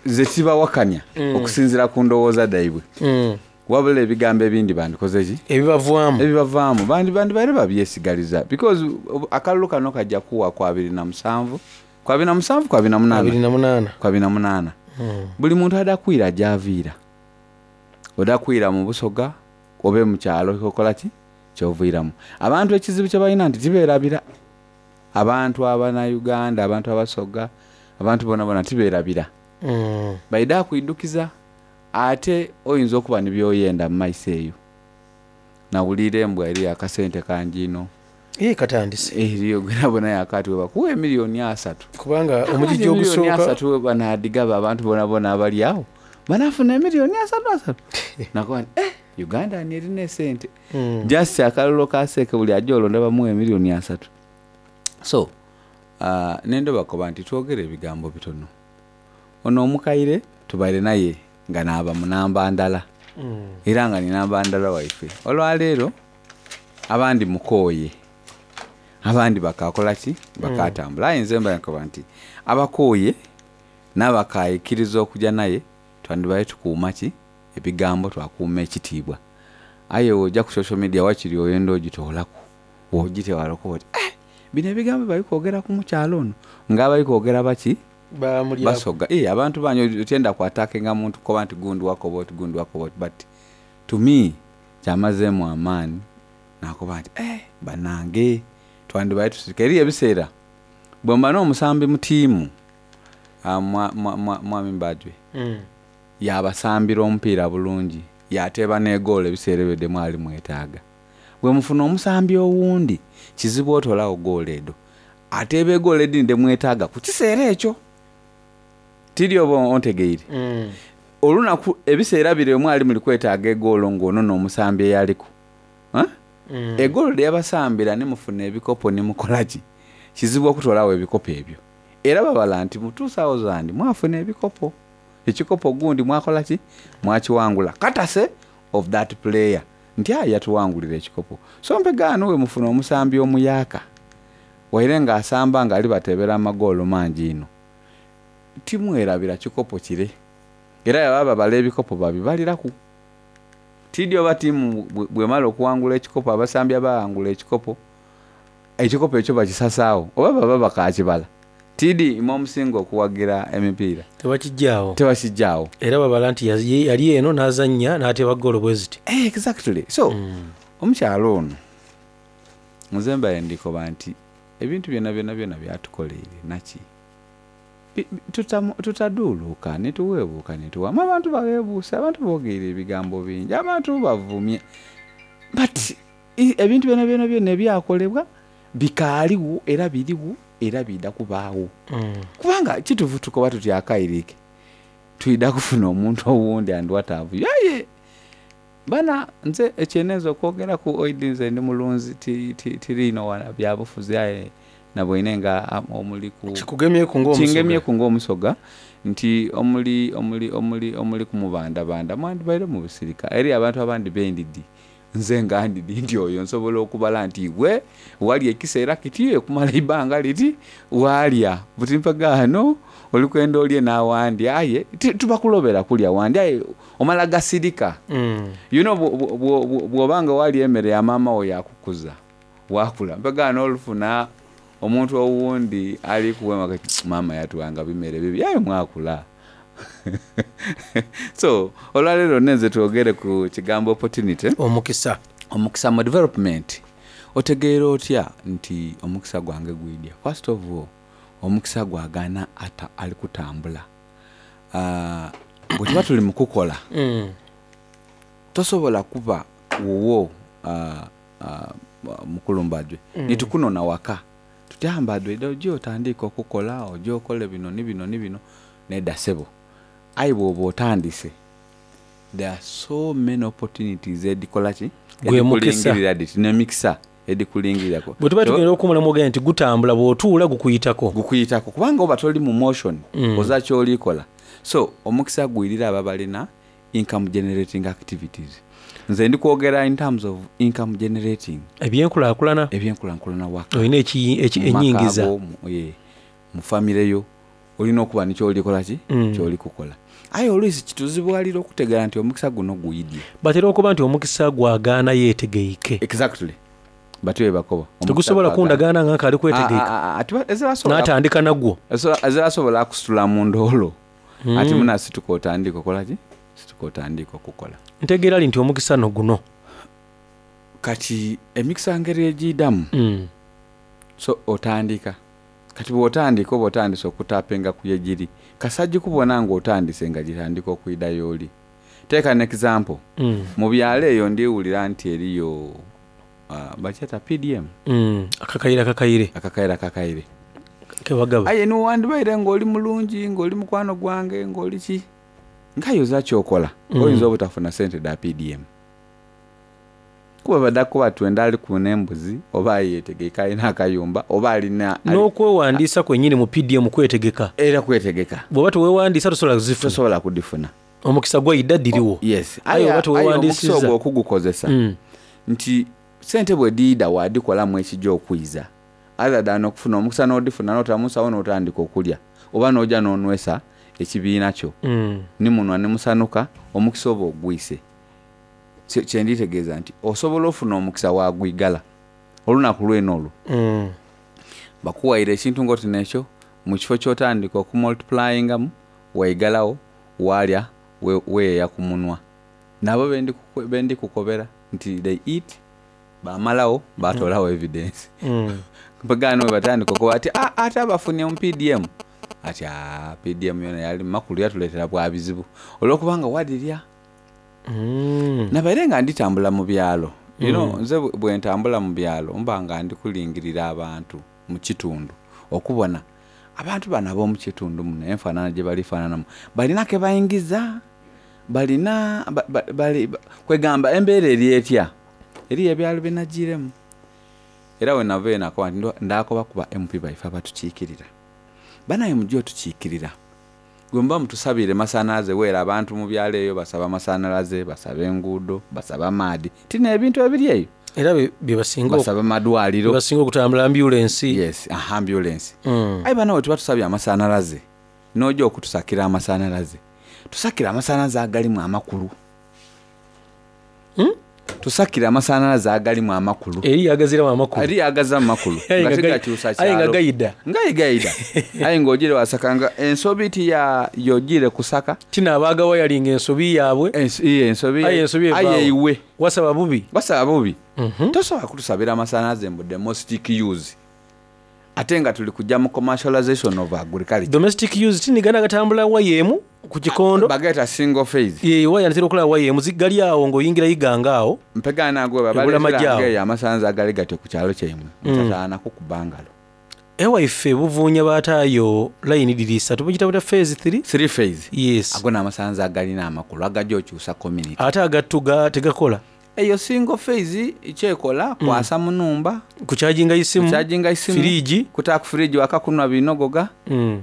nze sibawakanya Mm. okusinziira ku ndowooza daibwe. Mm. Wabula ebigambo ebindi bandikoze ki? Ebibavaamu. Ebibavaamu. Bandi, bandi baire babyesigaliza, because akalulu kano kajja kuwa kwa abiri na musanvu, kwa abiri na musanvu, kwa abiri na munaana. Abiri na munaana. Kwa abiri na munaana. Mm. Buli muntu adakwira gy'aviira. Odakwira mu Busoga obe mu kyalo okola ki? Ky'oviiramu. Abantu ekizibu kye balina nti tibeerabira. Abantu abanauganda, abantu abasoga, abantu bona bona tiberabira. Mm. Baida kwidukiza ate oyinza okuba nibyoyenda mu maiso eyo. Nawulira embwa eri akasente kangi ino. Ee, katandise. Eriyo gwenabona yakati webakuwa emiliyoni asatu. Kubanga omugigi Emiliyoni ogusooka asatu banadigaba abantu bona bona abali awo banafuna emiliyoni asatu asatu. Nakuba nti eh, Uganda ni erina esente. Mm. Just akalulu kaseke buli ajja olonda bamuwa emiliyoni asatu. So uh, nendo bakoba nti twogere ebigambo bitono. Ono omukaire tubaire naye nga naaba munamba ndala. Mm. Era nga ninamba ndala waife. Olwaleero abandi mukooye, abandi bakakola ki? Bakatambula. Aye nze mba nkoba nti abakooye n'abakayikiriza okujja naye twandibaye tukuuma ki? Ebigambo, twakuuma ekitiibwa. Aye w'ojja ku social media wakiri oyenda ogitoolaku, w'ogitewala okuba oti eh, bino ebigambo bali kwogera ku mukyalo ono nga bali kwogera baki? Bamulyako. Basoga. Eh, abantu banyo otenda kwatakenga muntu koba nti gundi wakoba oti, gundi wakoba oti, but to me kyamazeemu amaanyi nakoba nti eh, banange twandibaye tusirika. Eri ebiseera bwe mba n'omusambi mu ttiimu, ah, mwa- mwa- mwa- mwami Mbajwe Mm. yabasambira omupiira bulungi, yateeba n'egoolo ebiseera ebyo demwali mwetaaga. Bwe mufuna omusambi owundi kizibu otolawo goolo edo, ateeba egoolo edindi demwetaaga ku kiseera ekyo. Tiri oba ontegeire? Mm. Olunaku ebiseera biri omwali muli kwetaaga egoolo ng'ono n'omusambi eyaliko. Ha? Mm. Egoolo lyabasambira ne mufuna ebikopo ne mukola ki? Kizibu okutolawo ebikopo ebyo. Era babala nti mu two thousand mwafuna ebikopo. Ekikopo gundi mwakola ki? Mwakiwangula. Courtesy of that player. Nti aye yatuwangulira ekikopo. So mpegaano we mufuna omusambi omuyaaka. Waire ng'asamba ng'ali batebera amagoolo mangi ino. Timwerabira kikopo kire. Era yaba babala ebikopo babibaliraku. Tidi oba ttiimu bwe- bwemala okuwangula ekikopo, abasambi abawangula ekikopo, ekikopo ekyo bakisasaawo oba baba bakakibala. Tidi imwe omusinga okuwagira emipiira. Tebakijjaawo. Tebakijjaawo. Era babala nti yazi- yali eno n'azannya n'ateeba ggoolo bwe ziti. Eh, exactly. So omukyalo ono nze mbaye ndikoba nti ebintu byonna byonna byonna byatukoleire naki Bi- bi- tutamu- tutaduuluka netuweebuuka netuwamu. Abantu baweebuuse, abantu boogeire ebigambo bingi, abantu bavumye, but i- ebintu byonna byonna byonna ebyakolebwa bikaaliwo era biriwo era bidda kubaawo. Mm. Kubanga kituufu tukoba tuti akairike twida kufuna omuntu owundi and what have you. Aye bana nze ekyeneza okwogera ku oidi nze ndi mulunzi ti- ti- tiriino wala byabufuzi aye nabwine nga am- omuli ku Kikugemyeku ng'omusoga. kingemyeku ng'omusoga nti omuli omuli omuli omuli kumubandabanda mwandibaire mu busirika. Eri abantu abandi bendidi nze nga ndidi nti oyo nsobola okubala nti gwe wali ekiseera kiti okumala ebbanga liti waalya buti mpagaano oli kwenda olye n'awandi aye ti- tubakulobera kulya wandi aye omala gasirika. Mm. You know, bwo- bwo- bwo- bwo- bw'obanga wali emmere ya maama wo yakukuza wakula mpagaano olufuna omuntu owundi ali kuwema kati maama yatuwanga bimere bibi aye mwakula. So olwaleero nenze twogere ku kigambo opportunity, omukisa. Omukisa mu development. Otegeera otya nti omukisa gwange gwidya? First of all, omukisa gwagaana ata ali kutambula. Ah, bwe tuba tuli mu kukola Mm. tosobola kuba wuwo ah, ah, mukulu Mbajwe Mm. nitukunona waka tutya Mbajwe dda ojja otandika okukola ojja okole bino ni bino ni bino nedda ssebo. Aye bw'oba otandise there are so many opportunities edikola ki? Gwe mukisa. Edikulingirira diti n'emikisa edikulingirirako. Bwe tuba tugenda okuwummulamu ogenda nti gutambula bw'otuula gukuyitako. Gukuyitako kubanga oba toli mu motion Mm. oza kyolikola. So omukisa gwirira aba balina income generating activities. Nze ndi kwogera in terms of income generating. Ebyenkulaakulana. Ebyenkulaakulana waka. Olina eki- eki- Mu maka ennyingiza. go, mu, eh, mu famire yo olina okuba nikyolikola ki? Mm. Kyoli kukola. Aye oluusi kituzibwalira okutegeera nti omukisa guno guyidye. Batera okuba nti omukisa gwagaana yeetegeike. Exactly. Batyo bwe bakoba. Omukisa Tegusobola gwagaana. kundagaana nga nkaali kwetegeeka. Ah, ah, ah, tiba- ezirasobola- N'atandika nagwo. Ezira- ezirasobola akusitula mu ndoolo. Mm. Ati muna situka otandika okola ki? Situka otandika okukola. Ntegeera li nti omukisa no guno. Kati emikisa ngeri egiyiddamu Mm. So otandika kati bw'otandika oba otandise okutapinga ku yegiri kasajja kubona ng'otandise nga gitandika okwida y'oli. Take an example. Mm. Mu byalo eyo ndiwulira nti eriyo uh, bakyeta P D M. Mm. Akakaire akakaire. Akakaire akakaire. Kebagaba. Aye niwandibaire ng'oli mulungi, ng'oli mukwano gwange, ng'oli ki nkayoza kyokola, Mm. oyinza obutafuna sente da P D M kuba baddakuba twenda ali kuna embuzi oba yetegeka alina akayumba oba alina N'okwewandiisa kwennyini mu P D M kwetegeka. Era kwetegeka. Bw'oba teweewandiisa tosobola kuzifuna. Tosobola kudifuna. Omukisa gwayidda diriwo. Yes. Aye oba aye omukisa teweewandiisizza ogwo okugukozesa Mm. nti sente bwe diida wadikolamu ekijja okwiza other than okufuna omukisa n'odifuna n'otamusawo n'otandika okulya oba n'ojja n'onwesa ekibiina kyo Mm. nimunwa nimusanuka omukisa oba ogwise. Kye- kyenditegeeza nti osobola ofuna omukisa wagwigala olunaku lwene olwo Mm. bakuwaire ekintu ngoti nekyo mu kifo kyotandika okumultiplyingamu waigalawo walya we- weeya ku munwa. Nabo bendi kuku- bendi kukobera nti they eat bamalawo batolawo evidence. Mm. Mpagaano we batandika okuba ati "Ah, ate abafunye mu P D M ati "Ah, P D M yona yali makulu yatuleetera bwa bizibu olwokubanga wadirya." Mm. Nabaire nga nditambula mu byalo, you know, Mm. nze bwe- bwe ntambula mu byalo mba nga ndi kulingirira abantu mu kitundu okubona abantu bano ab'omu kitundu muno enfaanana gye balifaananamu balina ke bayingiza balina ba- ba- bali- ba- kwegamba embeera eri etya eriyo ebyalo byenagiremu. Era we nava enakoba nti ndo- ndakoba kuba M P baife abatukiikirira banaye mujje otukiikirira gwe muba mutusabire masanalaze weera abantu mu byalo eyo basaba masanalaze, basaba enguudo, basaba amaadi tina ebintu ebiri eyo. Era bye- bye basinga basaba madwaliro. Bye basinga okutambula ambulensi. Yes, aha, ambulance. Mm. Aye banawe tuba tusabye amasanalaze n'ojja okutusakira amasanalaze, tusakire amasanalaze agalimu amakulu, tusakire amasanalaze agalimu amakulu. Eri yagaziramu amakulu. Eri yagazamu amakulu. Aye nga nga gai- tegakyusa aye nga kyalo. gayida. Nga gayida aye ng'ogire wasaka nga ensobi ti ya yogire kusaka. Tina abaagawayalinga ensobi yaabwe. Iye ensobi. Aye ensobi aye evaawo. iwe wasaba bubi. Wasaba bubi. Tosobola kutusabira amasanalaze mbu domestic use ate nga tuli kujja mu commercialization of agriculture. Domestic use tinigana gatambula waya emu ku kikondo. Bageta single phase. Ye waya ntera okulaba waya emu gali awo ng'oyingira yiganga awo. Mpegana gwe Ebula babaleetera majaawo. ngeeyo amasanalaze agali gatyo ku kyalo kyaimwe Mm. mutataanako kubangalo. Ewaife buvuunya bataayo layini diri ssatu bugita buta phase three. Three phase. Yes. Ago n'amasanalaze agalina amakulu agajja okyusa community. Ate agattu tegakola. Eyo single phase kyekola kwasa mu numba, kukyajinga isimu, kukyajinga isimu, firiji, kutaa ku firiji wakakunwa binogoga. Mm.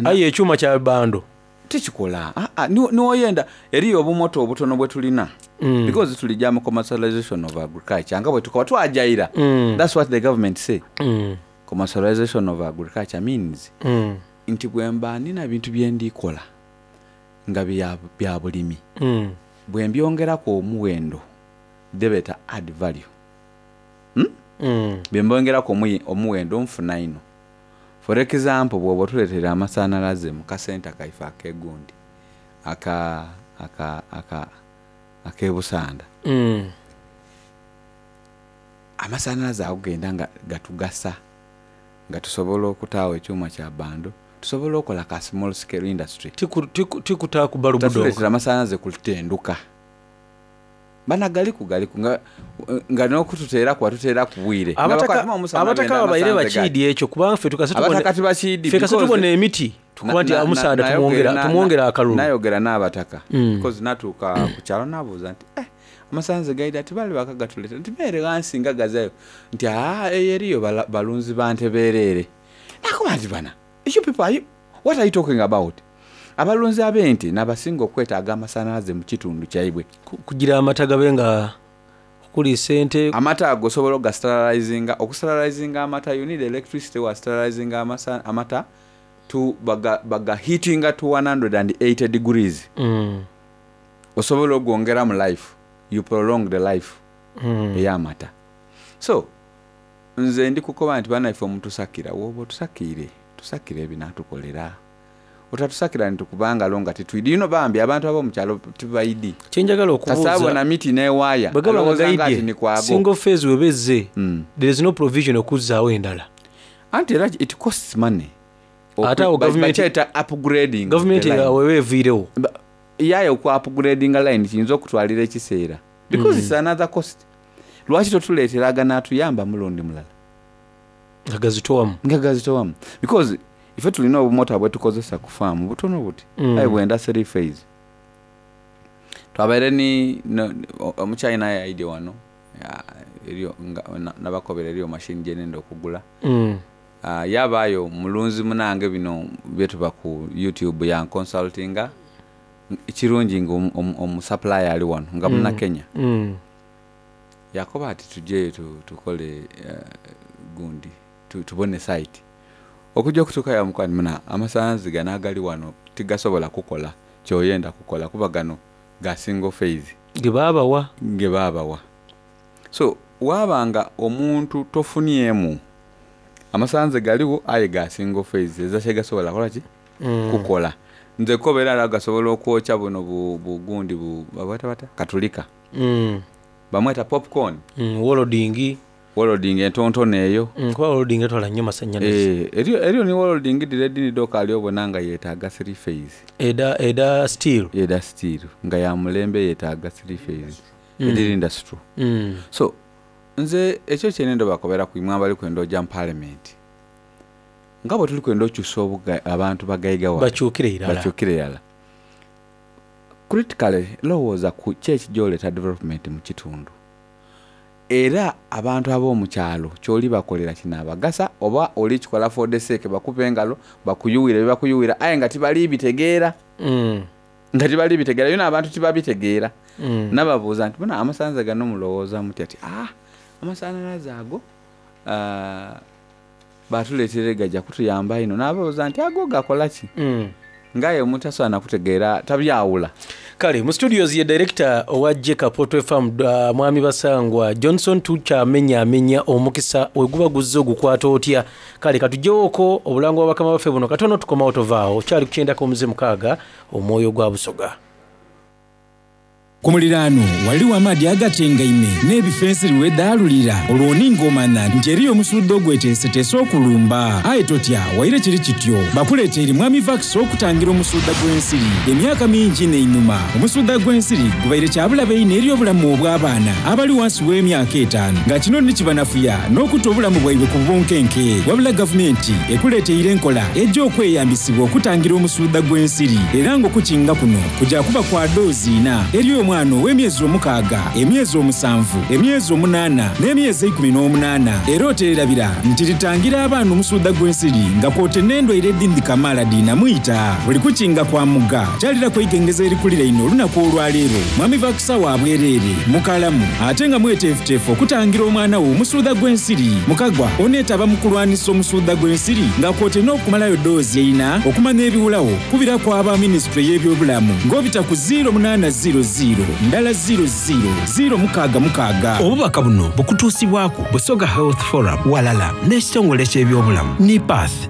Aye ekyuma kya bando Tekikola. Ah, ah, ni- niwoyenda eriyo obumoto obutono bwe tulina Mm. because tulijja mu commercialization of agriculture nga bwe tukoba twajayira. Mm. That's what the government say. Mm. Commercialization of agriculture means Mm. nti bwe mba nina bintu bye ndikola nga bya bya bulimi, Mm. bwe mbyongeraku omuwendo debeta add value, hmm? Mm. Bwe mbongeraku omuyi- omuwendo nfuna ino. For example, bw'oba otuleetera amasanalaze mu kasenta kaife akegundi aka aka aka ak'ebusanda, Mm. amasanalaze ago genda nga gatugasa nga tusobola okutaawo ekyuma kya bando, tusobola okola ka small scale industry. Tikutaa ku balubudo. Tatuleetera amasanalaze kutenduka bana galiku galiku nga, nga n'okututeeraku watuteera ku bwire. Nga Abataka bakwatuma omusana abataka benda babaire amasanalaze bakiidi ekyo kubanga ffe tukase tubona- abataka tibakiidi. ffe kase because- tubona emiti tukuba nti Na- na- omusaada na- tumwongera na- tumwongera akalulu. Nayogera n'abataka Mm. because natuuka ku kyalo nabuuza nti eh, amasanze gaida nti bali bakagatuleeta nti beere wansi nga gazayo nti aa eyo eriyo bala- balunzi ba nte beereere. Nakuba nti bana you people are you, what are you talking about? Abalunzi ab'ente nabasinga okwetaaga amasanalaze mu kitundu kyaibwe. Kugira amata gabe nga okuliisa ente. Amata ago osobola ogasterilizinga. Okusterilizinga amata you need electricity. Wa sterilizinga amasa, amata to baga, baga heatinga to one hundred eighty degrees. Mm. Osobola ogwongera mu life, you prolong the life Mm. ey'amata. So nze ndi kukoba nti banaife omutusakira woba otusakiire tusakire ebinatukolera otatusakira ntitukubangalo nga titwidi ino bambi abantu ab'omukyalo tibaidi. Kyenjagala okubuuza Kasaabona miti n'ewaaya bwe gaba nga alowooza nga ati gaidye ni kwago. Single phase weba ezze, Mm. there is no provision okuzzaawo endala. Anti era it costs money. Ate awo Ba- gavumenti- bakyeta upgrading gavumenti the line. awo eba eviirewo. Ba- yaye oku upgradinga line kiyinza okutwalira ekiseera because Mm. it's another cost. Lwaki totuleetera aganaatuyamba mulundi mulala nga gazitowamu nga gazitowamu because ife tulina obumota bwetukozesa ku faamu butono buti Mm. aye bwenda three phase twabaire ni no- o- omuchina yaidye wano ya- eriyo nga- na- nabakobera eriyo mashini gyenenda okugula. Mm. Ah, yabaayo mulunzi munange bino byetuba ku YouTube yanconsultinga kirungi nga omu- omu- omusupplier ali wano nga muna Mm. Kenya. Mm. Yakoba ati tujjeyo tu- tukole eh, gundi tu- tubone site okujja okutuuka yamukwani muna amasanzi gano agali wano tigasobola kukola kyoyenda kukola kuba gano ga single phase ge baabawa ge baabawa. So waabanga omuntu tofunyemu amasanze galiwo aye ga single phase eza kyegasobola kola ki? Mm. Kukola nze kobeera ala gasobola okwokya buno bu- bugundi bu babweta bata katulika. Mm. Bamweta popcorn. Mm, wolodingi. Wolodingi entontono eyo. Mm, kuba wolodingi etwala nnyo masannyalaze. Eh, eriyo eriyo ni wolodingi dira doka ali obona nga yeetaaga three phase. Eda eda steel. Eda steel nga ya mulembe yeetaaga three phase. Mm. Ediri industry. Mm. So nze ekyo kyene ndobakobera ku imwe abali kwenda ojja mu parliament nga bwe tuli kwenda okyusa obuga- abantu bagaigawa Bakyukire irala. bakyukire irala critically lowooza ku ki ekijoleta development mu kitundu era abantu ab'omukyalo kyoli bakolera kinaabagasa oba oli kikola for the sake bakuba engalo bakuyuwira byebakuyuwira aye nga tibali bitegeera. Mm. Nga tibali bitegeera yona abantu tibabitegeera. Mm. Nababuuza nti bona amasanza gano mulowooza mutya ati ah amasanalaze ago ah, batuleetera gajja kutuyamba ino nababuuza nti ago gakola ki? Mm. Ngaye omuntu asobola nakutegeera tabyawula. Kale mu studios ye director owa Jeka Potwe Farm uh, mwami Basangwa Johnson tukyamenyaamenya omukisa we guba guzze ogukwata otya. Kale katuggyewoko obulango bwa bakama baffe buno katono tukomawo tovaawo kyali ku kyendako omuze mukaaga omwoyo gwa Busoga. Ku muliraano waliwo amaadi agatengaime n'ebifo ensiri wedaalulira olwo ningomana nti eriyo omusudde ogweteeseteese okulumba aye totya waire kiri kityo bakuleeta eri mwami vax okutangira omusudda gw'ensiri emyaka mingi n'einuma omusudda gw'ensiri gubaire kyabulabe ino eri obulamu obw'abaana abali wansi w'emyaka etaano nga kino nikibanafuya n'okutta obulamu bwaibwe ku bunkenke wabula gavumenti ekuleeteire enkola ejja okweyambisibwa okutangira omusudda gw'ensiri era ng'okukinga kuno kujja kuba kwa doozi ina eri omwana ow'emyezi omukaaga emyezi omusanvu emyezi omunaana n'emyezi ekumi n'omunaana era oteerabira nti litangira abaana omusudda gw'ensiri nga kwote n'endwaire edindi kamaala diinamuyita buli kukinga kwa mugga kyalirako igengeza erikulira ino olunaku olwaleero mwami vakusa wa bwereere mukalamu ate nga mweteefuteefu okutangira omwana wo omusuuda gw'ensiri mukagwa oneetaba mu kulwanisa omusuuda gw'ensiri nga kwote n'okumalayo doozi eina okumanya ebiwulawo kubira ku aba minisitule y'ebyobulamu ng'obita ku zero munaana zero zero ndala zero zero zero mukaaga mukaaga. Obubaka buno bukutuusibwako Busoga Health Forum walala n'ekitongole ky'ebyobulamu NIPATH.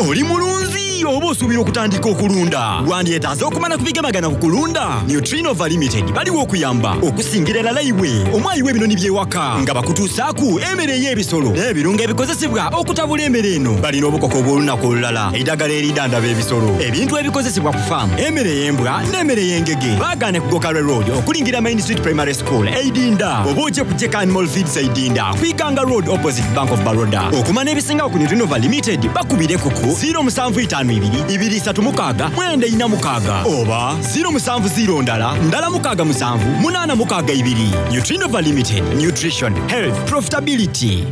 Oli mulunzi oba osuubira okutandika okulunda wandyetaaze okumala ku bigamagana ku kulunda Nutrinova Limited baliwo okuyamba okusingira erala iwe omwayi w'ebinoni by'ewaka nga bakutuusaaku emmere ey'ebisolo n'ebirungo ebikozesebwa okutabula emmere eno balina obukoko obw'olunaku olulala eddagala eridandaba ebisolo ebintu ebikozesebwa ku faamu emmere ey'embwa n'emmere ey'engege baagaane ku Gokalwe Road okulingira Main Street Primary School Eidinda oba ojje ku Jeka Animal Feeds Eidinda Kwikanga Road opposite Bank of Baroda okumanya ebisingawo ku Nutrinova Limited bakubire kuku zero musanvu itaano ibiri ibiri isatu mukaaga mwenda ina mukaaga oba zero musanvu zero ndala ndala mukaaga musanvu munaana mukaaga ibiri. Nutrinova Limited, nutrition, health, profitability.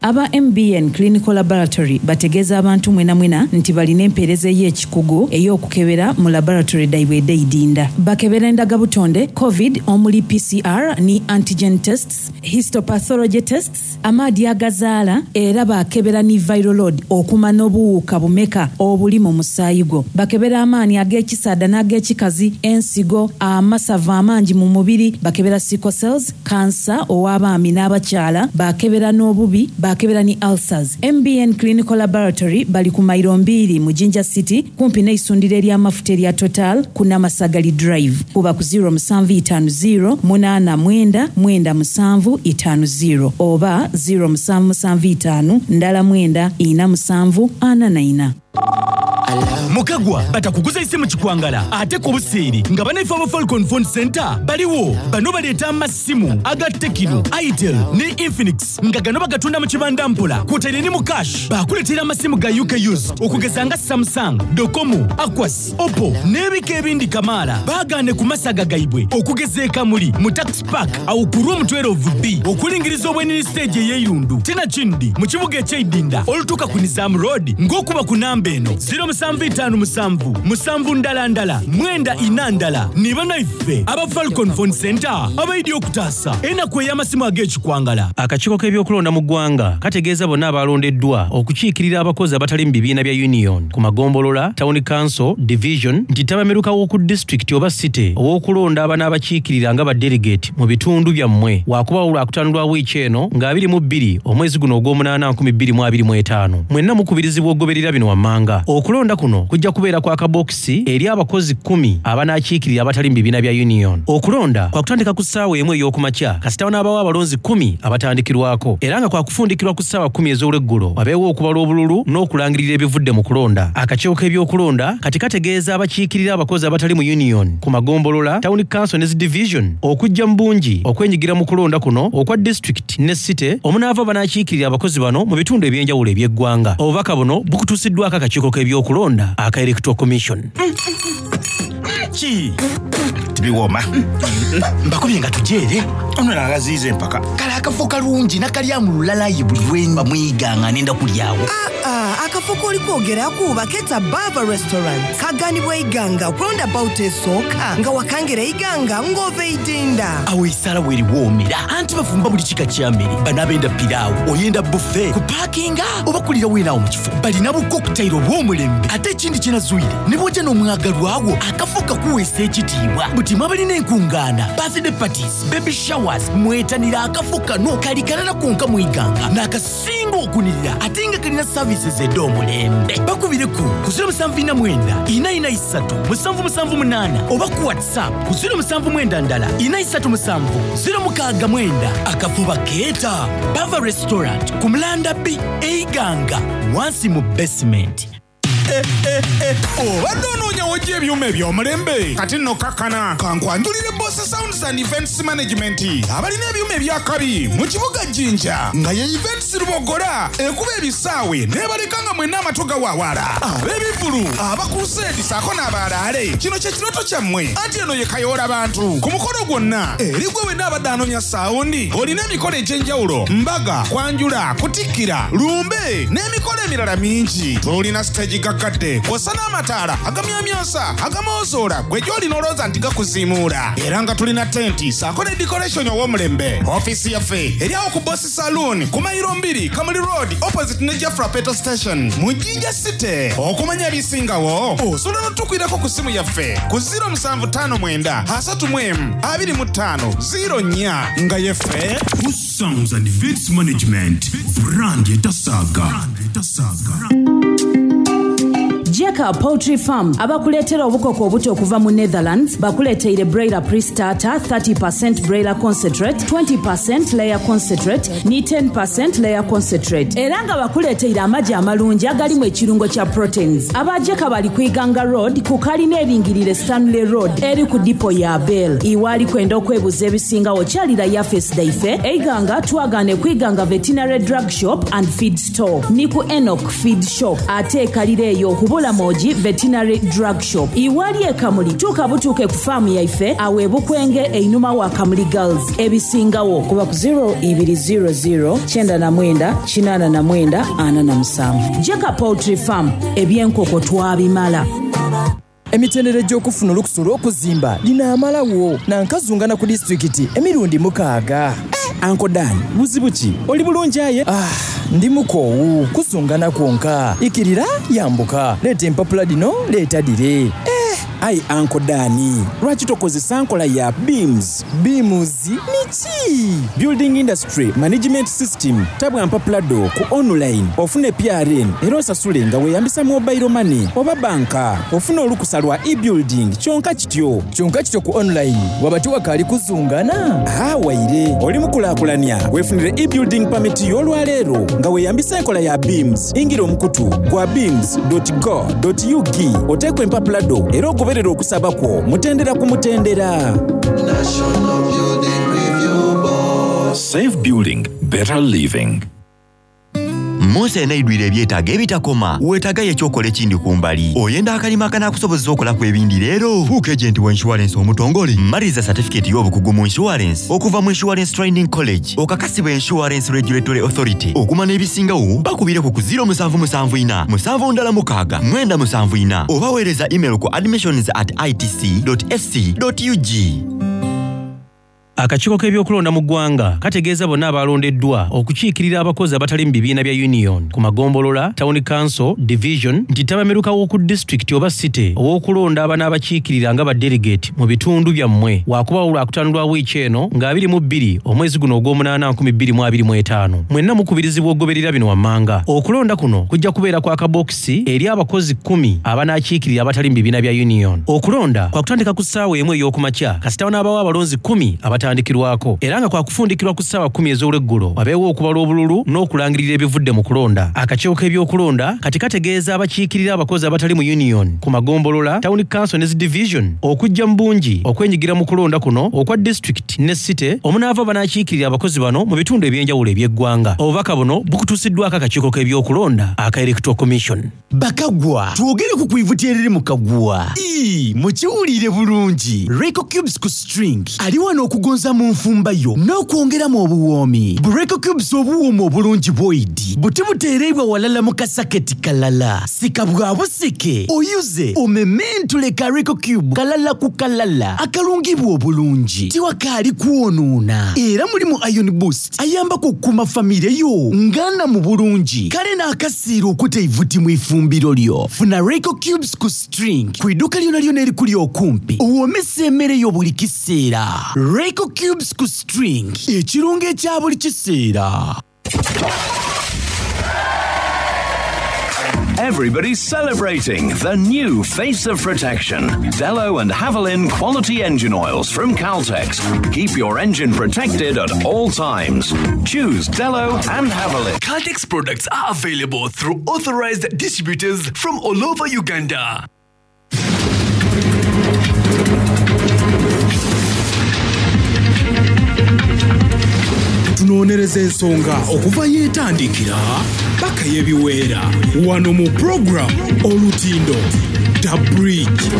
Aba M B N Clinical Laboratory bategeeza abantu mwena mwena nti balina empeereza ey'ekikugu ey'okukebera mu laboratory daibwe edeidinda bakebera endagabutonde COVID omuli P C R ni antigen tests, histopathology tests, amaadi agazaala era bakebera ni viral load okumanya obuwuka bumeka obuli mu musaayi gwo bakebera amaanyi ag'ekisaada n'ag'ekikazi ensigo amasavu amangi mu mubiri bakebera sickle cells kansa ow'abaami n'abakyala bakebera n'obubi. Bakebera ni ulcers. M B N Clinical Laboratory bali ku mairo mbiri mu Jinja City kumpi n'eisundiro ery'amafuta erya Total ku Namasagali Drive. Kuba ku zero musanvu itaano zero munaana mwenda mwenda musanvu itaano zero oba zero musanvu musanvu itaano ndala mwenda ina musanvu ana na ina. Mukagwa batakuguza isimu kikwangala ate ku buseeri nga banaife aba Falcon Phone Center baliwo. Bano baleeta amasimu aga Tecno, Itel ne Infinix nga gano bagatunda mu kibanda mpola kwotaire ne mu cash. Bakuleetera amasimu ga U K used okugeza nga Samsung, Docomo, Aquas, Oppo n'ebika ebindi kamaala. Baagaane ku masaga gaibwe okugeza e Kamuli mu Tax Park awo ku room twelve B okulingiriza obwenini stage ey'eirundu. Tena kindi mu kibuga eky'eidinda olutuuka ku Nizam Road ng'okuba ku namba eno zero musanvu itaano musanvu musanvu ndala ndala mwenda ina ndala. Ni banaife aba Falcon Phone Center abaidi okutaasa enaku ey'amasimu ag'ekikwangala. Akakiiko k'ebyokulonda mu ggwanga kategeeza bonna abalondeddwa okukiikirira abakozi abatali mu bibiina bya union ku magombolola, town council, division nti ttabamiruka w'oku disitulikiti oba city ow'okulonda abanaabakiikirira nga ba delegate mu bitundu byammwe waakubawo lwakutaano lwa wiiki eno nga abiri mu bbiri omwezi guno ogw'omunaana nkumi bbiri mu abiri mu etaano. Mwenna mukubirizibwa okugoberera bino wammanga. Okulonda kuno kujja kubeera kwa kabokisi eri abakozi kkumi abanaakiikirira abatali mu bibiina bya union. Okulonda kwa kutandika ku ssaawa emu ey'okumakya kasita wanaabawo abalonzi kkumi abatandikirwako era nga kwa kufundikirwa ku ssaawa kkumi ez'olweggulo wabeewo okubala obululu n'okulangirira ebivudde mu kulonda. Akakiiko k'ebyokulonda kati kategeeza abakiikirira abakozi abatali mu union ku magombolola, town council ne zi division okujja mu bungi okwenyigira mu kulonda kuno okwa district ne city omunaava banaakiikirira abakozi bano mu bitundu eby'enjawulo eby'eggwanga. Obubaka buno bukutuusiddwako akakiiko k'ebyokulonda aka Electoral Commission. Ki? Tibiwooma. Mbakubye nga tujeere. Ono nagaziiza empaka. Kale akafo kalungi nakalya mu lulalayi buli lwe bamwiganga nenda kulyawo. Ah, ah, akafo k'oli kwogeraku bakeeta Bava Restaurant. Kaganibwa iganga ku roundabout esooka nga wakangera iganga ng'ova eidinda. Awo esaala weeriwoomera anti bafumba buli kika kya mmere. Bano abenda piraawo, oyenda buffet, kupaakinga oba kulira weenaawo mu kifo. Balina bu cocktail obw'omulembe ate ekindi kye nazuire ne bw'ojja n'omwagalwawo akafo kakuweesa ekitiibwa. Buti mwabalina enkungaana, birthday parties, baby showers, mwetanira akafo kano kali kalala konka mu iganga n'akasinga okunirira ate nga kalina services ed'omulembe. Bakubireko ku zero musanvu ina mwenda ina ina isatu musanvu musanvu munaana oba ku WhatsApp ku zero musanvu mwenda ndala ina isatu musanvu zero mukaaga mwenda. Akafo bakeeta Bava Restaurant ku Mulanda B Eiganga wansi mu basement. Obadde onoonya w'ojja ebyuma eby'omulembe kati nno kakkana kankwanjulire Boss Sounds and Events Management abalina ebyuma ebyakabi mu kibuga Jinja nga ye Events Lubogola ekuba ebisaawe n'ebaleka nga mwenna amatu gawaawala ab'ebivvulu abakuseedi ssaako n'abalaale. Kino kye kirooto kyammwe anti eno ye kayoola bantu ku mukolo gwonna eri gwe wenna abadde anoonya saawundi olina emikolo egy'enjawulo mbaga kwanjula kutikkira lumbe n'emikolo emirala mingi. Tulina siteegi gaggadde kw'ossa n'amataala agamyamyansa agamoozola gwe gy'olina olowooza nti gakuziimuula era nga tulina tenti ssaako ne decoration ow'omulembe. Ofiisi yaffe eri awo ku Boss Saloon ku mayiro mbiri Kamuli Road opposite ne Jafra Petrol Station mu Jinja City. Okumanya ebisingawo osobola n'otukwirako ku ssimu yaffe ku zero musanvu ttaano mwenda asatu mu emu abiri mu ttaano zero nnya nga yeffe Boss Sounds and Events Management brand etasaaga. Jeka Poultry Farm abakuleetera obukoko obuto okuva mu Netherlands bakuleeteire broiler pre-starter thirty percent broiler concentrate, twenty percent layer concentrate ni ten percent layer concentrate era nga bakuleeteire amagi amalungi agalimu ekirungo kya proteins. Aba Jeka bali ku Iganga Road ku kalina eringirire Stanley Road eri ku dipo ya Bell. Iwaali kwenda okwebuza ebisingawo kyalira yafesi daife Eiganga twagaane ku Iganga Veterinary Drug Shop and Feed Store ni ku Enoch Feed Shop ate ekalira eyo kubula Moji Veterinary Drug Shop. Iwali e Kamuli tuuka butuuke ku faamu yaife awo ebukwenge einuma wa Kamuli Girls. Ebisingawo kuba ku zero ibiri zero zero kyenda na mwenda kinaana na mwenda ana na musanvu. Jeka Poultry Farm ebyenkoko twabimala. Emitendera egy'okufuna olukusa olw'okuzimba linaamalawo nankazungana ku disitulikiti emirundi mukaaga. Uncle Dan, buzibu ki? Oli bulungi aye? Ah, ndi mukoowu kuzungana kwonka. Ikirira yambuka. Leeta empapula dino, leeta dire. Eh, Ayi Uncle Dan, lwaki tokozesa nkola ya BIMS? BIMS niki? Building Industry Management System. Tabwa mpapulado ku online ofune P R N era osasule nga weeyambisa mobile money oba banka. Ofune olukusa lwa e-building kyonka kityo. Kyonka kityo ku online waba tiwakaali kuzungana? Ah, waire oli mukulaakulanya weefunire e-building permit y'olwaleero nga weeyambisa enkola ya BIMS. Ingira omukutu gwa bims dot go dot U G oteekwa empapulado era ogoberera okusaba kwo mutendera ku mutendera. National Building Review Board. Safe building, better living. Munsi eneidwire ebyetaago ebitakoma, weetaagayo ekyokola ekindi ku mbali. Oyenda akalima akanaakusobozesa okolaku ebindi leero. Fuuka agent wa insurance omutongole. Maliriza certificate y'obukugu mu insurance okuva mu Insurance Training College. Okakasibwa Insurance Regulatory Authority. Okumanya ebisingawo bakubireko ku zero musanvu musanvu ina, musanvu ndala mukaaga, mwenda musanvu ina. Oba weereza email ku admissions at I T C dot S C dot U G. Akakiiko k'ebyokulonda mu ggwanga kategeeza bonna abalondeddwa okukiikirira abakozi abatali mu bibiina bya union ku magombolola, town council, division nti ttabamiruka w'oku disitulikiti oba city ow'okulonda abanaabakiikirira nga ba delegate mu bitundu byammwe waakubaawo lwakutaano lwa wiiki eno nga abiri mu bbiri omwezi guno ogw'omunaana nkumi bbiri mu abiri mu etaano. Mwenna mukubirizibwa okugoberera bino wammanga. Okulonda kuno kujja kubeera kwa kabokisi eri abakozi kkumi abanaakiikirira abatali mu bibiina bya union. Okulonda kwa kutandika ku ssaawa emu ey'okumakya kasita wanaabawo abalonzi kkumi abatandikirwako era nga kwa kufundikirwa ku ssaawa kkumi ez'olweggulo wabeewo okubala obululu n'okulangirira ebivudde mu kulonda. Akakiiko k'ebyokulonda kati kategeeza abakiikirira abakozi abatali mu union ku magombolola, town council ne zi division okujja mu bungi okwenyigira mu kulonda kuno okwa district ne city omunaava banaakiikirira abakozi bano mu bitundu eby'enjawulo eby'eggwanga. Obubaka buno bukutuusiddwako akakiiko k'ebyokulonda aka Electoral Commission. Bakagwa, twogere ku kwivuti eriri mu kagwa. Ii, mukiwulire bulungi. Reco Cubes ku string ali wano okugonza mu nfumba yo n'okwongeramu obuwoomi. Reco Cubes obuwoomi obulungi bw'oidi buti buteereibwa walala mu kasaketi kalala. Sika bwa busike, oyuze, omementule ka Reco Cube kalala ku kalala akalungibwa obulungi. Tiwakaali kwonoona. Era mulimu Iron Boost ayambako okukuuma famire yo ngana mu bulungi. Kale n'akasiira okuta eivuti mu ifumbiro lyo. Funa Reco Cubes ku string ku idduuka lyona lyona erikuli okumpi owoomesa emmere yo buli kiseera. Reco Cubes ku string ekirungo ekya buli kiseera. Everybody's celebrating the new face of protection. Delo and Havilland quality engine oils from Caltex. Keep your engine protected at all times. Choose Delo and Havilland. Caltex products are available through authorized distributors from all over Uganda. Tunoonyereza ensonga okuva yeetandikira paka y'ebiweera wano mu program Olutindo The Bridge.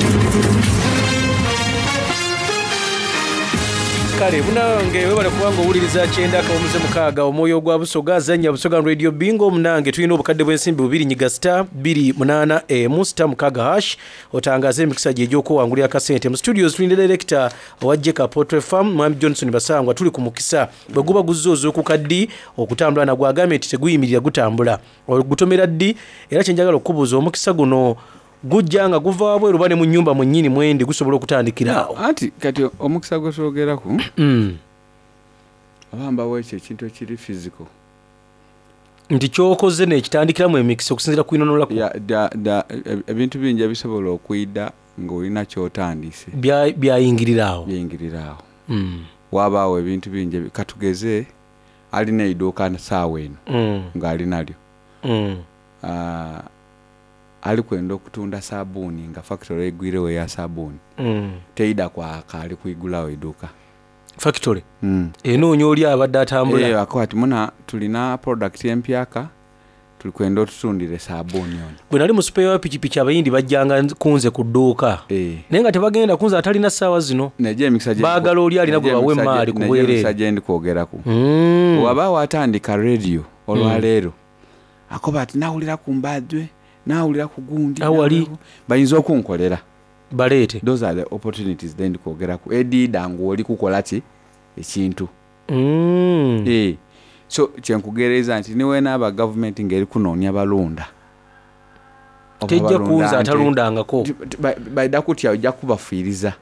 Kale munange webale kubanga owuliriza kyenda akawumuze mukaaga omwoyo gwa Busoga azannya Busoga Radio Bingo. Munange tulina obukadde bw'ensimbi bubiri nyiga star bbiri munaana emu star mukaaga hash otangaze emikisa gye egy'okwewangulira akasente. Mu studios tulina director owa Jeka Poultry Farm Mwami Johnson Basangwa. Tuli ku mukisa bwe guba guzze ozuukuka ddi okutambula nagwo agambye nti teguyimirira gutambula ogutomera ddi. Era kye njagala okukubuuza omukisa guno gujja nga guva wabweru oba ne mu nnyumba mwennyini mwendi gusobola okutandikira awo? Anti kati omukisa gwe twogeraku oba mbawo ekyo ekintu ekiri physical nti ky'okoze n'ekitandikiramu emikisa okusinziira ku inonola ku ebintu bingi ebisobola okuyida ng'olina ky'otandise byayingirira awo byayingirira awo wabaawo ebintu bingi katugeze alina edduuka ssaawa eno ng'alinalyo ali kwenda okutunda sabuuni nga factory egwirewo eya sabuuni mm. teida kwaka ali kuigulawo edduuka factory mm. enoonya oli abadde atambula e, ako ati muna tulina product empyaka tuli kwenda otutundire sabuuni ono. Bwe nali mu supeya wa pikipiki abayindi bajjanga kunze ku dduuka e. naye nga tebagenda kunze atalina ssaawa zino baagala oli alina gwe bawa emaali ku bwereere. Emikisa gye ndi kwogeraku mm. waba watandika radio olwaleero mm. akoba ati nawulira ku mbadwe nawulira ku gundi awali bayinza okunkolera baleete. Those are the opportunities then kwogeraku edida ng'oli kukola ki ekintu mm. e. So kyenkugereza nti niwenaaba gavumenti ng'eri kunoonya balonda Oba Tejja balunda kunza nte. atalundangako. Ti- ti- ba- baida kutya ojja kubafiiriza,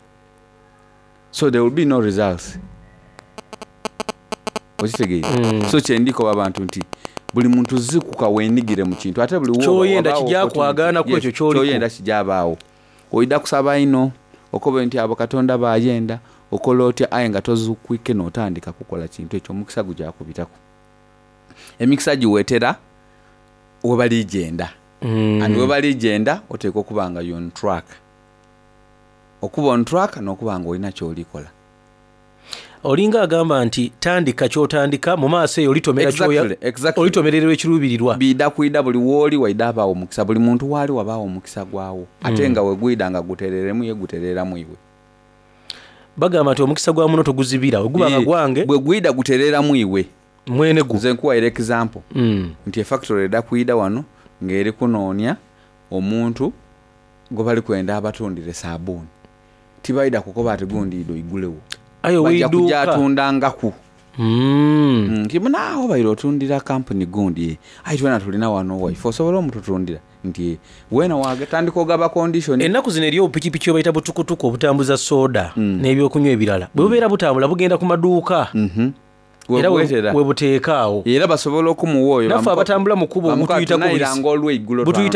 so there will be no results, okitegeire? Mm. So kyendikoba abantu nti buli muntu zikuka wenigire mu kintu, ate buli woba Kyoyenda wabaawo kijja opportunity. kwagaana ku Yes, ekyo ky'oliko. kyoyenda kijabaawo. Oida kusaba ino okobe nti abo Katonda bayenda, okola otya, aye nga tozukwike notandika kukola kintu ekyo, omukisa gujakubitako. Emikisa giwetera webalijenda Mm. and webalijenda oteekwa okuba nga you on track, okuba on track n'okuba nga olina kyolikola. Olinga agamba nti tandika kyotandika mu maaso eyo olitomera Exactly, kyoya- exactly. olitomererwa ekiruubirirwa. Bida kwida buli wooli waida abaawo omukisa, buli muntu waali wabaawo omukisa gwawo, ate Mm. nga wegwida nga gutereremu ye gutereramu iwe. Bagamba nti omukisa gwa muno toguzibira, weguba nga Eh, gwange bwe gwida gutereramu iwe mwene gwo. Nze nkuwaire example Mm. nti efactory edda kwida wano ng'eri kunoonya omuntu gwe bali kwenda abatundire sabuuni, tibaida kukoba ati gundi ido igulewo. Aye Bajja ow'edduuka. kujja atundangaku Mm. nti munaawo baire otundira kampuni gundi, ayi twena tulina wano waife, osobola omututundira nti wena wagetandika ogaba condition. Ennaku zino eri obupikipiki obayita butukutuku obutambuza soda Mm. n'ebyokunywa ebirala, bwe bubeera butambula bugenda ku maduuka era we- Webwetera. we buteeka awo. Era basobola okumuwa oyo Naffe abatambula mu kkubo bamukatuyitako butuyitako olw'eggulo. butuyitako.